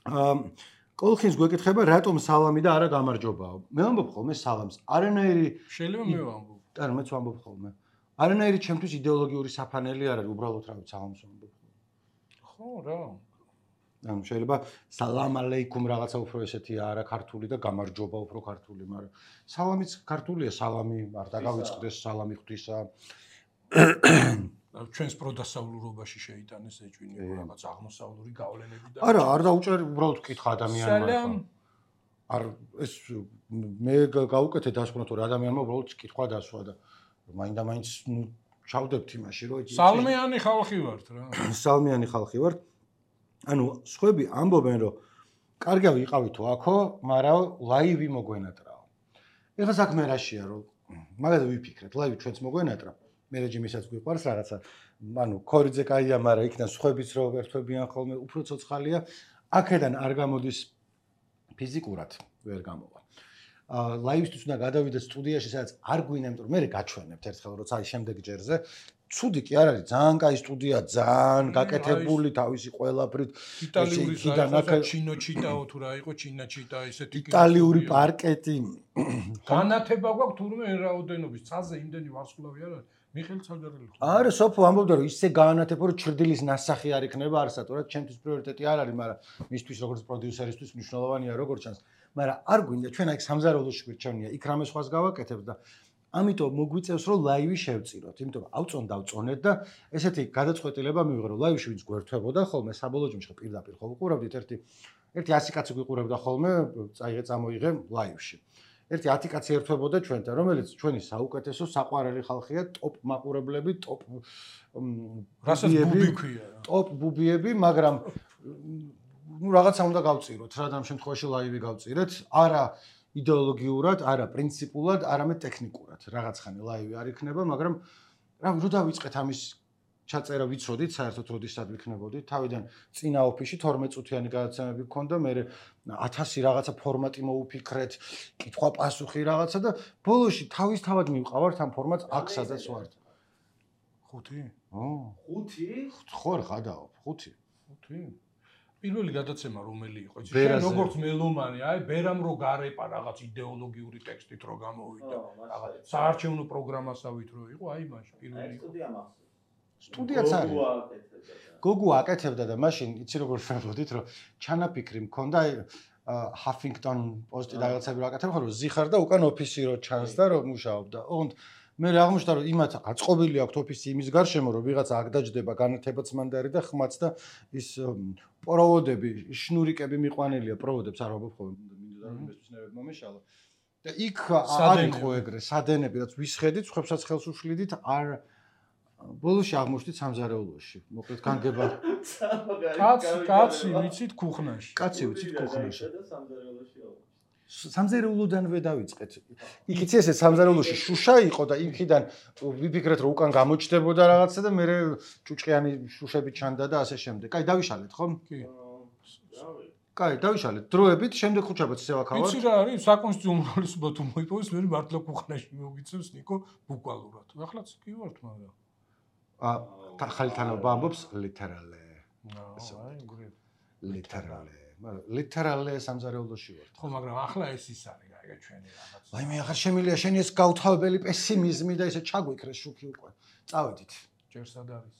კოლხინს გვეკითხება რატომ სალამი და არა გამარჯობაო. მე ვამბობ ხოლმე სალამს. არანაირი შეიძლება მე ვამბობ. და მეც ვამბობ ხოლმე. არანაირი ჩემთვის იდეოლოგიური საფანელი არ არის, უბრალოდ რა ვიცი სალამს ვამბობ. ხო რა. ანუ შეიძლება სალამ ალეიკუმ რაღაცა უფრო ესეთი არა ქართული და გამარჯობა უფრო ქართული, მაგრამ სალამიც ქართულია, სალამი არ დაგავიწყდეს, სალამი ღვთისა. ჩვენს პროდასავლურობაში შეიტანეს ეჭვინე რაღაც აღმოსავლური გავლენები და არა, არ დაუჭერ უბრალოდ ვკითხა ადამიანმა. არ ეს მე გავუკეთე დასკვნა თუ ადამიანმა უბრალოდ კითხვა დასვა და მაინდა-მაინც ჩავდებთ იმაში, რომ სალმიანი ხალხი ვართ რა. სალმიანი ხალხი ვართ. ანუ სხვები ამბობენ რომ კარგია ვიყავითო აქო, მაგრამ ლაივი მოგვენატრაო. ეხლა საქმე რაშია რომ მაგაზე ვიფიქრეთ, ლაივი ჩვენც მოგვენატრა. მე რეჟიმისაც გვიყვარს რაღაცა. ანუ ქორიძე კაია, მაგრამ იქიდან სხვებიც რო ერთვებიან ხოლმე, უფრო ცოცხალია. აქედან არ გამოდის ფიზიკურად ვერ გამოვა. ლაივისთვის უნდა გადავიდე სტუდიაში, სადაც არ გვინდა, იმიტომ რომ მე გაჩვენებთ ერთხელ როცა აი შემდეგ ჯერზე ცუდი კი არ არის, ძალიან კაი სტუდია, ძალიან გაკეთებული თავისი ყველაფრით. იტალიური საერთოდ ჩინოჩიტაო თუ რა იყო, ჩინაჩიტა ესეთი იტალიური პარკეტი. განათება გვაქვს თურმე εν რაოდენობის, წაზე იმდენი ვარსკვლავი არ არის. მიხეილ ცალდარელი ხო? არა, სოფო ამბობდა რომ ისე გაანათება რომ ჩრდილის ნასახი არ იქნება არსატურად, ჩემთვის პრიორიტეტი არ არის, მაგრამ მისთვის როგორც პროდიუსერისთვის მნიშვნელოვანია როგორც ჩანს. მაგრამ არ გვინდა ჩვენ აქ სამზარეულოში გვირჩევნია, იქ რამე სხვას გავაკეთებთ და ამიტომ მოგვიწევს რომ ლაივი შევწიროთ, იმიტომ რომ ავწონეთ და ესეთი გადაწყვეტილება მივიღე რომ ლაივში ვინც გვერთვებოდა ხოლმე საბოლოო ჯამში პირდაპირ ხო ვიყურავდით ერთი 100 კაცი გვიყურებდა ხოლმე, წამოიღე ლაივში. ერთი 10 კაცი ერთვებოდა ჩვენთან, რომელიც ჩვენი საუკეთესო საყვარელი ხალხია, ტოპ მაყურებლები, ტოპ რასაც ბუბი ქვია. ტოპ ბუბიები, მაგრამ ნუ რაღაცა უნდა გავწიროთ, რა და ამ შემთხვევაში ლაივი გავწირეთ, არა იდეოლოგიურად, არა პრინციპულად, არამედ ტექნიკურად. რაღაც ხანი ლაივი არ იქნება, მაგრამ რა რო დავიწყეთ ამის ჩაწერა ვიცოდით, საერთოდ როდესაც ვიქნებოდით, თავიდან წინა ოფისში 12 წუთიანი გადაცემები გქონდა, მე 1000 რაღაცა ფორმატი მოუფიქრეთ, კითხვა-პასუხი რაღაცა და ბოლოში თავისთავად მივყავართ ამ ფორმატს აქ სადაც ვართ. 5? 5? ხო რა გადაავალ, 5. პირველი გადაცემა რომელი იყო? შენ როგორც მელომანი, აი ბერამ რო გარეპა რაღაც იდეოლოგიური ტექსტით რო გამოვიდა. რაღაც საარჩევნო პროგრამასავით რო იყო, აი მაშინ პირველი სტუდიაც არის. გოგუ აკეთებდა და მაშინ იცი როგორ ვფიქრობდით რომ ჩანაფიქრი მქონდა აი ჰაფინგტონ პოსტი და რაღაცები რა აკეთებ ხო რომ ზიხარ და უკან ოფისი რო ჩანს და რომ მუშაობდა. ოღონდ მე აღმოჩნდა რომ იმათ აწყობილი აქვს ოფისი იმის გარშემო რომ ვიღაცა აქ დაждდება განათებაც მანდარი და ხმაც და ის პროვოდები, შნურიკები მიყვანილია, პროვოდებს არ ვაბობ ხოლმე მინდა რომ იმისთვის ნებებ მომეშალა. და იქ არ იყო ეგრე, სადენები რაც ვისხედით, ხვებსაც ხელს უშლიდით, არ ბოლოში აღმოჩნდით სამზარეულოში. მოკლედ განგება კაცი ვიცით ქუხნაში. კაცი ვიცით ქუხნაში. სამზარეულოდანვე დავიწყეთ. იქ იცი ესე სამზარეულოში შუშა იყო და იქიდან ვიფიქრეთ რომ უკან გამოჩნდებოდა რაღაცა და მე ჭუჭყიანი შუშები ჩანდა და ასე შემდეგ. კაი, დავიშალეთ ხომ? კი. კაი, დავიშალეთ. დროებით შემდეგ ხუჩაბაც ისე ვაქავართ. იცი რა არის საკონსტიტუციო უმრავლესობა თუ მოიპოვეს მე მართლა ქუხანაში მოგიწევს ნიკო ბუკვალურად. ახლაც კი ვართ მაგრამ. ახალი თანობა ამბობს literally. აი, literally. მაგრამ literally სამზარეულოში ვართ. ხო, მაგრამ ახლა ეს ის არის, აი ჩვენი რაღაც. აი მე ახლა შემიძლია შენი ეს გავთავებელი პესიმიზმი და ესე ჩაგვიქრეს შუქი უკვე. წავედით. ჯერ სად არის?